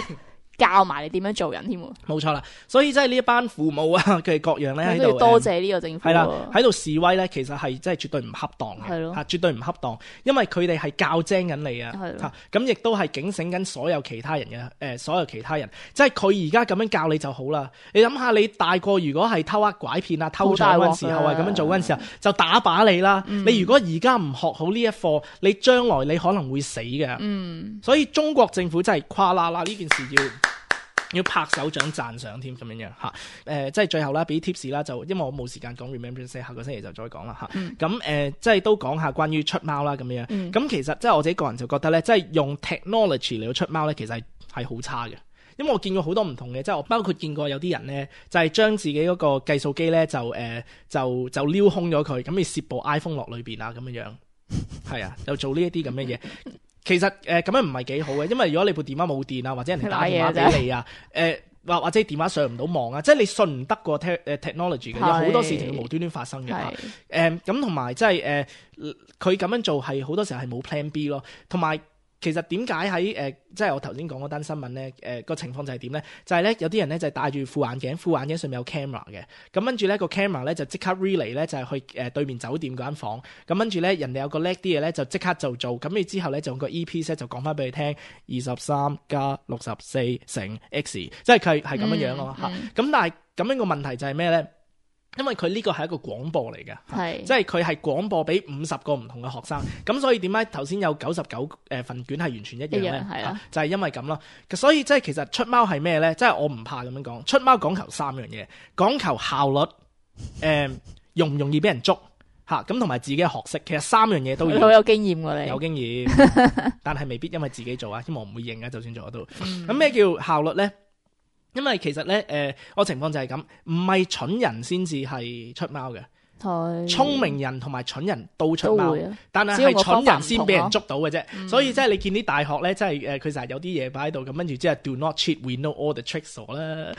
教埋你點樣做人添喎，冇錯啦。所以即係呢一班父母啊，佢哋各樣咧喺度多謝呢個政府，係啦，喺度示威咧，其實係真係絕對唔恰當嘅，係咯，嚇絕對唔恰當，因為佢哋係教精緊你啊，嚇咁亦都係警醒緊所有其他人嘅誒、呃，所有其他人，即係佢而家咁樣教你就好啦。你諗下，你大個如果係偷呃拐騙啊、偷搶嗰陣時候啊，咁樣做嗰陣時候，就打靶你啦。嗯、你如果而家唔學好呢一課，你將來你可能會死嘅。嗯，所以中國政府真係誇啦啦呢件事要。要拍手掌讚賞添咁樣樣嚇，誒、呃、即係最後啦，俾 tips 啦，就因為我冇時間講 Remembrance Day，下個星期就再講啦嚇。咁誒、嗯呃、即係都講下關於出貓啦咁樣。咁、嗯、其實即係我自己個人就覺得咧，即係用 technology 嚟到出貓咧，其實係係好差嘅。因為我見過好多唔同嘅，即係我包括見過有啲人咧，就係、是、將自己嗰個計數機咧就誒、呃、就就撩空咗佢，咁你攝部 iPhone 落裏邊啊咁樣樣。係啊，就做呢一啲咁嘅嘢。其實誒咁、呃、樣唔係幾好嘅，因為如果你部電話冇電啊，或者人哋打電話俾你啊，誒或、呃、或者電話上唔到網啊，即係你信唔得個 te technology 嘅，有好多事情會無端端發生嘅嚇。誒咁同埋即係誒佢咁樣做係好多時候係冇 plan B 咯，同埋。其實點解喺誒，即係我頭先講嗰單新聞咧，誒、呃、個情況就係點咧？就係、是、咧有啲人咧就係戴住副眼鏡，副眼鏡上面有 camera 嘅，咁跟住咧個 camera 咧就即刻 relay 咧就係去誒對面酒店嗰間房，咁跟住咧人哋有個叻啲嘅咧就即刻就做，咁你之後咧就用個 earpiece 咧就講翻俾你聽，二十三加六十四乘 x， 即係佢係咁樣樣咯嚇。咁、嗯嗯、但係咁樣個問題就係咩咧？因為佢呢個係一個廣播嚟嘅，係即係佢係廣播俾五十個唔同嘅學生，咁所以點解頭先有九十九誒份卷係完全一樣咧？係啊，就係、是、因為咁咯。所以即係其實出貓係咩咧？即係我唔怕咁樣講，出貓講求三樣嘢，講求效率，誒、呃、容唔容易俾人捉嚇，咁同埋自己嘅學識，其實三樣嘢都要。好有經驗㗎你，有經驗，但係未必因為自己做啊，因為我唔會認啊，就算做得到。咁咩、嗯、叫效率咧？因為其實咧，誒、呃，我情況就係咁，唔係蠢人先至係出貓嘅，聰明人同埋蠢人都出貓，啊、但係係蠢人先俾人捉到嘅啫。嗯、所以即係你見啲大學咧，即係誒，佢成日有啲嘢擺喺度，咁跟住即係 do not cheat, we know all the tricks 啦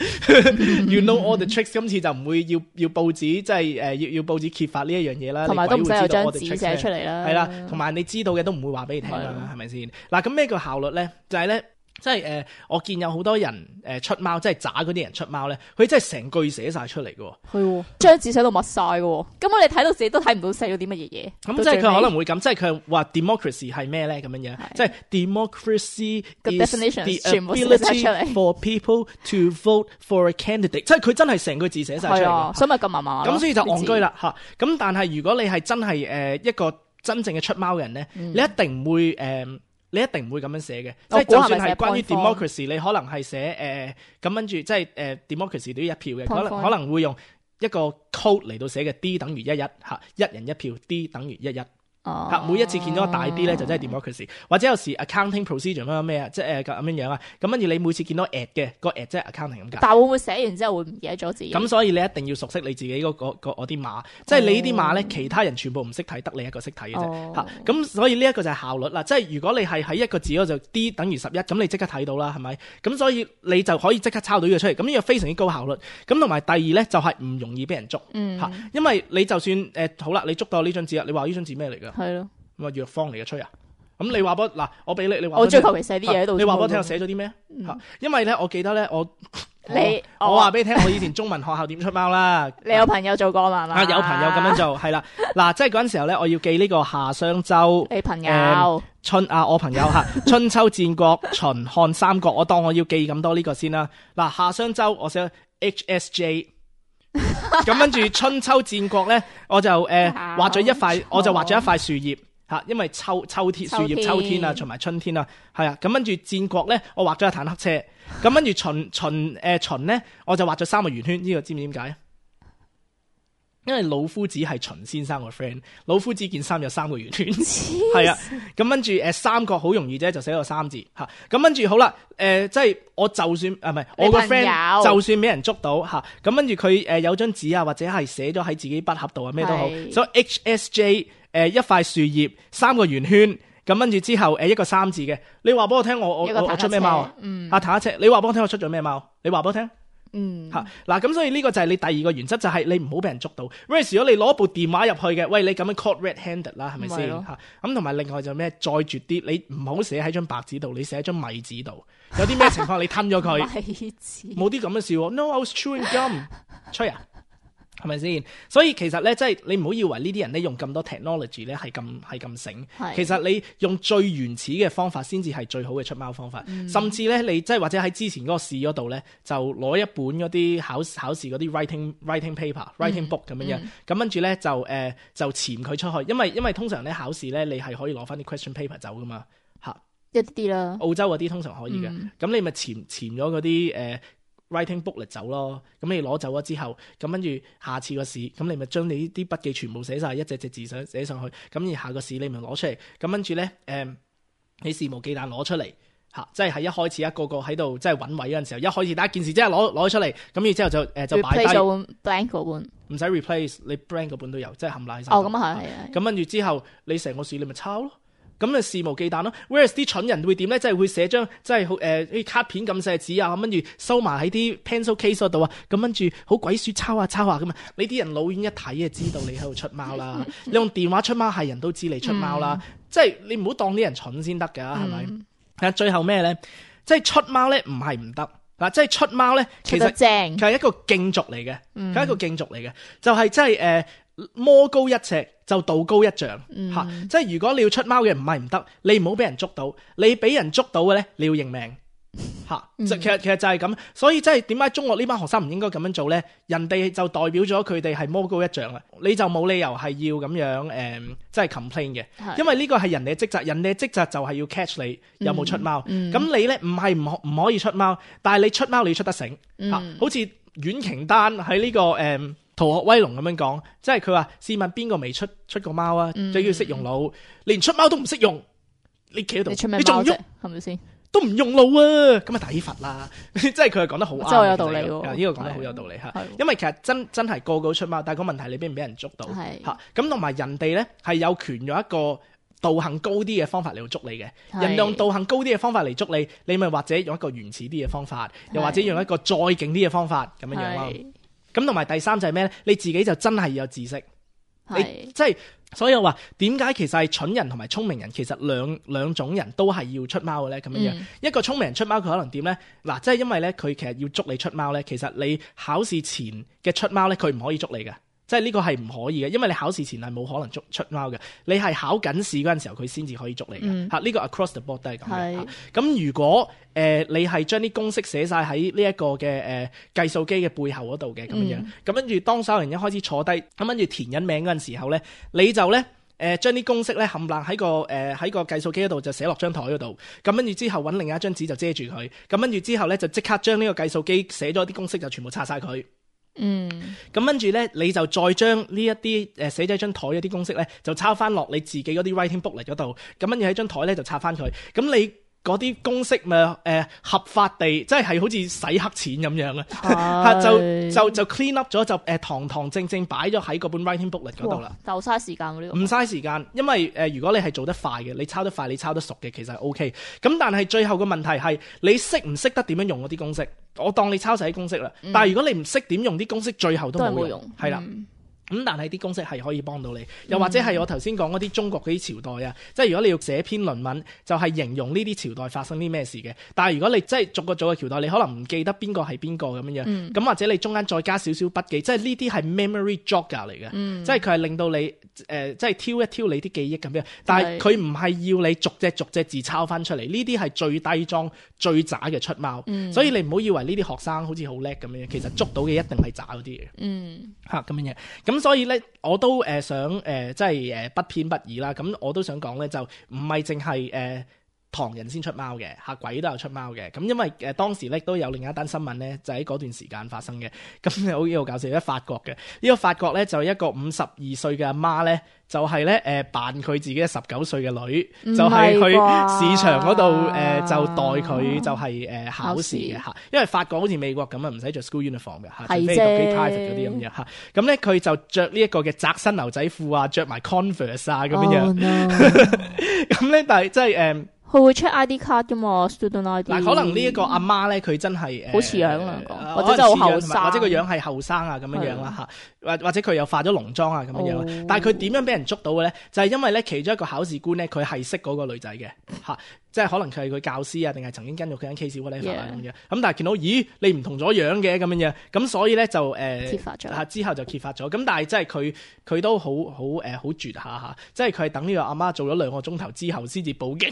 ，you know all the tricks。今次就唔會要要報紙，即係誒要要報紙揭發呢一樣嘢啦，同埋都唔使有張紙寫出嚟啦，係啦，同埋你知道嘅都唔會話俾你聽啦，係咪先？嗱，咁咩叫效率咧？就係、是、咧。即係誒、呃，我見有好多人誒、呃、出貓，即係渣嗰啲人出貓咧，佢真係成句寫晒出嚟嘅。係，張紙寫到密晒嘅，根本你睇到自己都睇唔到寫咗啲乜嘢嘢。咁即係佢可能會咁，即係佢話 democracy 係咩咧？咁樣樣，即係 democracy is the ability for people to vote for a candidate。即係佢真係成句字寫晒出嚟，所以咪咁麻麻。咁所以就戇居啦吓。咁但係如果你係真係誒、呃、一個真正嘅出貓嘅人咧，嗯、你一定唔會誒。呃你一定唔會咁樣寫嘅，即係就算係關於 democracy， 你可能係寫誒咁跟住，即係誒 democracy 都要一票嘅，可能可能會用一個 code 嚟到寫嘅 D 等於一一嚇，一人一票 D 等於一一。嚇，每一次見到個大 D 咧，就真係 democracy，或者有時 accounting procedure 乜咩啊，即係誒咁樣樣啊。咁跟住你每次見到 at 嘅個 at 即係 accounting 咁解。但係會唔會寫完之後會唔記得咗字？咁所以你一定要熟悉你自己嗰個嗰啲碼，即係你呢啲碼咧，其他人全部唔識睇，得你一個識睇嘅啫。嚇，咁所以呢一個就係效率啦。即係如果你係喺一個字嗰度 D 等於十一，咁你即刻睇到啦，係咪？咁所以你就可以即刻抄到呢個出嚟。咁呢個非常之高效率。咁同埋第二咧就係唔容易俾人捉。嗯。嚇，因為你就算誒好啦，你捉到呢張紙啊，你話呢張紙咩嚟㗎？係咯。咁啊藥方嚟嘅吹啊！咁你話俾嗱，我俾你，你話我最求其寫啲嘢喺度。你話俾我聽，我寫咗啲咩？嚇，因為咧，我記得咧，我你我話俾你聽，我以前中文學校點出貓啦。你有朋友做過嘛？啊，有朋友咁樣做，係啦。嗱，即係嗰陣時候咧，我要記呢個夏商周。你朋友春啊，我朋友嚇春秋戰國秦漢三國，我當我要記咁多呢個先啦。嗱，夏商周我寫 H S J。咁跟住春秋戰國咧，我就誒畫咗一塊，我就畫咗一塊樹葉吓，因為秋秋天樹葉秋天啊，同埋春天啊，係啊。咁跟住戰國咧，我畫咗一坦克車。咁跟住秦秦誒秦咧，我就畫咗三個圓圈。呢個知唔知點解？因為老夫子係秦先生個 friend， 老夫子件衫有三個圓圈，係啊。咁跟住誒三國好容易啫，就寫個三字吓。咁跟住好啦，誒、呃、即係我就算啊唔係我個 friend 就算俾人捉到吓，咁跟住佢誒有張紙啊，或者係寫咗喺自己筆盒度啊，咩都好。是所以 H S J 誒、呃、一塊樹葉，三個圓圈，咁跟住之後誒、呃、一個三字嘅。你話俾我聽，我我我出咩貓啊？嗯，啊坦克車，你話俾我聽，我出咗咩貓？你話俾我聽。嗯，吓嗱，咁所以呢個就係你第二個原則，就係、是、你唔好俾人捉到。Whereas 如果你攞部電話入去嘅，喂，你咁樣 caught red-handed 啦，係咪先吓？咁同埋另外就咩，再絕啲，你唔好寫喺張白紙度，你寫喺張米紙度。有啲咩情況你吞咗佢？米紙冇啲咁嘅事。No, I was chewing gum。吹啊！係咪先？所以其實咧，即係你唔好以為呢啲人咧用咁多 technology 咧係咁係咁醒。是其實你用最原始嘅方法先至係最好嘅出貓方法。嗯、甚至咧，你即係或者喺之前嗰個試嗰度咧，就攞一本嗰啲考考試嗰啲 writing writing paper、嗯、writing book 咁樣樣。咁跟住咧就誒、呃、就潛佢出去，因為因為通常咧考試咧你係可以攞翻啲 question paper 走噶嘛嚇。一啲啲啦。澳洲嗰啲通常可以嘅。咁、嗯、你咪潛潛咗嗰啲誒。呃writing book 嚟走咯，咁你攞走咗之後，咁跟住下次個試，咁你咪將你啲筆記全部寫晒，一隻隻字寫上去，咁而下個試你咪攞出嚟，咁跟住咧，誒、呃，你肆無忌憚攞出嚟，嚇，即係喺一開始一個個喺度即係揾位嗰陣時候，一開始第一件事即係攞攞咗出嚟，咁然之後就誒就擺低 replace 咗 blank 嗰本，唔使 replace，你 blank 嗰本都有，即係冚唪唥晒。哦，咁啊係係。咁跟住之後，你成個試你咪抄咯。咁咪肆無忌憚咯。Whereas 啲蠢人會點咧？即係會寫張即係好誒啲卡片咁細紙啊，咁跟住收埋喺啲 pencil case 嗰度啊。咁跟住好鬼鼠抄下抄下咁啊！你啲人老遠一睇就知道你喺度出貓啦。你用電話出貓係人都知你出貓啦。嗯、即係你唔好當啲人蠢先得㗎，係咪、嗯？係最後咩咧？即係出貓咧，唔係唔得嗱。即係出貓咧，其實佢係一個競逐嚟嘅，佢係、嗯、一個競逐嚟嘅，就係即係誒魔高一尺就道高一丈嚇、嗯啊。即係如果你要出貓嘅唔係唔得，你唔好俾人捉到，你俾人捉到嘅咧，你要認命嚇。啊嗯、其實其實就係咁，所以即係點解中國呢班學生唔應該咁樣做咧？人哋就代表咗佢哋係魔高一丈啊，你就冇理由係要咁樣誒、呃，即係 complain 嘅，是因為呢個係人哋嘅職責，人哋嘅職責就係要 catch 你有冇出貓。咁、嗯嗯、你咧唔係唔可唔可以出貓，但係你出貓你要出得醒嚇、嗯啊，好似阮瓊丹喺呢個誒。呃逃學威龍咁樣講，即係佢話試問邊個未出出過貓啊？最緊要識用腦，連出貓都唔識用，你企喺度，你仲喐係咪先？都唔用腦啊！咁啊抵罰啦！即係佢係講得好啱，真係有道理喎。呢個講得好有道理嚇，因為其實真真係個個出貓，但係個問題你俾唔俾人捉到嚇？咁同埋人哋咧係有權用一個道行高啲嘅方法嚟到捉你嘅。人用道行高啲嘅方法嚟捉你，你咪或者用一個原始啲嘅方法，又或者用一個再勁啲嘅方法咁樣樣咯。咁同埋第三就係咩咧？你自己就真係要有知識，是你即係所以我話點解其實係蠢人同埋聰明人其實兩兩種人都係要出貓嘅咧？咁樣樣、嗯、一個聰明人出貓佢可能點咧？嗱，即係因為咧佢其實要捉你出貓咧，其實你考試前嘅出貓咧佢唔可以捉你嘅。即係呢個係唔可以嘅，因為你考試前係冇可能捉出貓嘅，你係考緊試嗰陣時候佢先至可以捉你嘅嚇。呢、嗯呢個 across the board 都係咁嘅。咁是如果誒、呃、你係將啲公式寫晒喺呢一個嘅誒、呃、計數機嘅背後嗰度嘅咁樣，咁跟住當所有人一開始坐低，咁跟住填緊名嗰陣時候咧，你就咧誒將啲公式咧冚唪唥喺個誒喺、呃、個計數機嗰度就寫落張台嗰度，咁跟住之後揾另一張紙就遮住佢，咁跟住之後咧就即刻將呢個計數機寫咗啲公式就全部拆晒佢。嗯，咁跟住咧，你就再將呢一啲誒寫咗喺張台嗰啲公式咧，就抄翻落你自己嗰啲 writing book 嚟嗰度，咁跟住喺張台咧就拆翻佢，咁你嗰啲公式咪誒、呃、合法地，即係係好似洗黑錢咁樣啊，就就就 clean up 咗，就誒、呃、堂堂正正擺咗喺嗰本 writing book 嚟嗰度啦。就嘥時間嗰啲，唔嘥時間，因為誒、呃、如果你係做得快嘅，你抄得快，你抄得熟嘅，其實係 OK。咁但係最後個問題係你識唔識得點樣用嗰啲公式？我當你抄晒啲公式啦，嗯、但係如果你唔識點用啲公式，最後都冇用，係啦。咁但係啲公式係可以幫到你，又或者係我頭先講嗰啲中國嗰啲朝代啊，即係如果你要寫篇論文，就係、是、形容呢啲朝代發生啲咩事嘅。但係如果你即係逐個逐個朝代，你可能唔記得邊個係邊個咁樣樣，咁、嗯、或者你中間再加少少筆記，即係呢啲係 memory jogger 嚟嘅，嗯、即係佢係令到你誒、呃、即係挑一挑你啲記憶咁樣。但係佢唔係要你逐隻逐隻字抄翻出嚟，呢啲係最低裝最渣嘅出貓。嗯、所以你唔好以為呢啲學生好似好叻咁樣，其實捉到嘅一定係渣嗰啲嘅。嗯，嚇咁樣嘢。咁所以咧，我都誒、呃、想誒、呃，即係誒、呃、不偏不倚啦。咁我都想講咧，就唔係淨係誒唐人先出貓嘅，嚇鬼都有出貓嘅。咁因為誒、呃、當時咧都有另一單新聞咧，就喺嗰段時間發生嘅。咁好好搞笑，喺法國嘅呢、呢個法國咧，就一個五十二歲嘅阿媽咧，就係咧誒扮佢自己十九歲嘅女，就係、是、去市場嗰度誒就代佢就係、是、誒、呃、考試嘅嚇。因為法國好似美國咁啊，唔使着 school uniform 嘅嚇，除非讀啲 private 嗰啲咁樣嚇。咁咧佢就着呢一個嘅窄身牛仔褲啊，着埋 Converse 啊咁樣樣。咁咧，但係即係誒。佢會 check I D 卡噶嘛 ，student I D。嗱，可能呢一個阿媽咧，佢真係誒，好似樣兩個，或者真係好後生，或者個樣係後生啊咁樣樣啦嚇，或或者佢又化咗濃妝啊咁樣樣。哦、但係佢點樣俾人捉到嘅咧？就係、是、因為咧，其中一個考試官咧，佢係識嗰個女仔嘅嚇，即係可能佢係佢教師啊，定係曾經跟咗佢間 case whatever 啊咁樣。咁但係見到咦，你唔同咗樣嘅咁樣樣，咁所以咧就誒、呃、揭發咗，之後就揭發咗。咁但係即係佢佢都好好誒好絕下嚇，即係佢係等呢個阿媽做咗兩個鐘頭之後先至報警。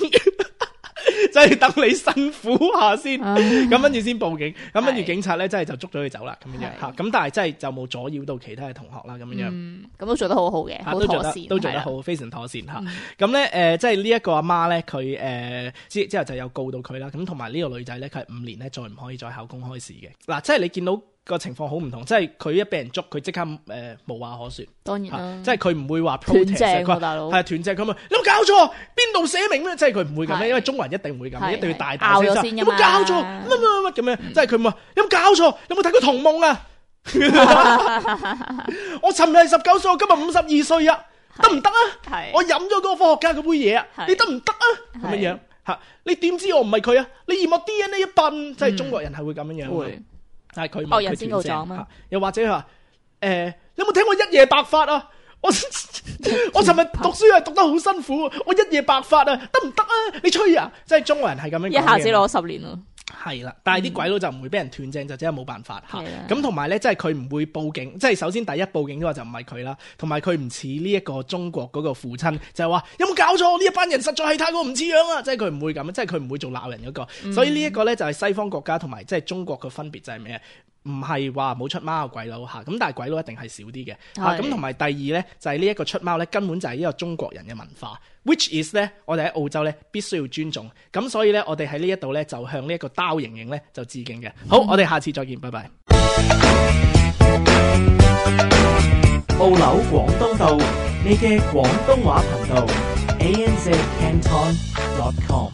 即係等你辛苦下先，咁跟住先報警，咁跟住警察咧，真係就捉咗佢走啦，咁樣樣吓，咁但係真係就冇阻擾到其他嘅同學啦，咁樣樣，咁都做得好好嘅，都做得都做得好，非常妥善吓。咁咧誒，即係呢一個阿媽咧，佢誒之之後就有告到佢啦，咁同埋呢個女仔咧，佢係五年咧再唔可以再考公開試嘅。嗱，即係你見到個情況好唔同，即係佢一俾人捉，佢即刻誒、呃、無話可説。當然啦，即係佢唔會話斷正 protest，喎大佬，係斷正咁啊！你有冇搞錯？邊度寫明咩？即係佢唔會咁樣，因為中國人一定會咁，一定要大大聲聲。有冇搞錯？乜乜乜咁樣？即係佢話有冇搞錯？有冇睇過童夢啊？我尋日係十九歲，我今日五十二歲啊，得唔得啊？我飲咗嗰個科學家嗰杯嘢啊，你得唔得啊？咁樣樣嚇，你點知我唔係佢啊？你驗我 D N A 一笨，即係中國人係會咁樣樣。會，但係佢惡人先告狀嘛。又或者佢話誒，有冇聽過一夜白髮啊？我我尋日讀書係讀得好辛苦，我一夜白髮啊，得唔得啊？你吹啊！即係中國人係咁樣講嘅，一下子攞十年咯。係啦，但係啲鬼佬就唔會俾人斷正，就真係冇辦法嚇。咁同埋咧，即係佢唔會報警，即係首先第一報警嘅話就唔係佢啦，同埋佢唔似呢一個中國嗰個父親，就係話有冇搞錯？呢一班人實在係太過唔似樣啊！即係佢唔會咁，即係佢唔會做鬧人嗰個。嗯、所以呢一個咧就係西方國家同埋即係中國嘅分別就係咩？唔係話冇出貓嘅鬼佬嚇，咁但係鬼佬一定係少啲嘅嚇。咁同埋第二咧就係呢一個出貓咧根本就係呢個中國人嘅文化 ，which is 咧我哋喺澳洲咧必須要尊重。咁所以咧我哋喺呢一度咧就向呢一個刀瑩瑩咧就致敬嘅。好，我哋下次再見，拜拜。澳紐廣東道，你嘅廣東話頻道 a n z canton dot com。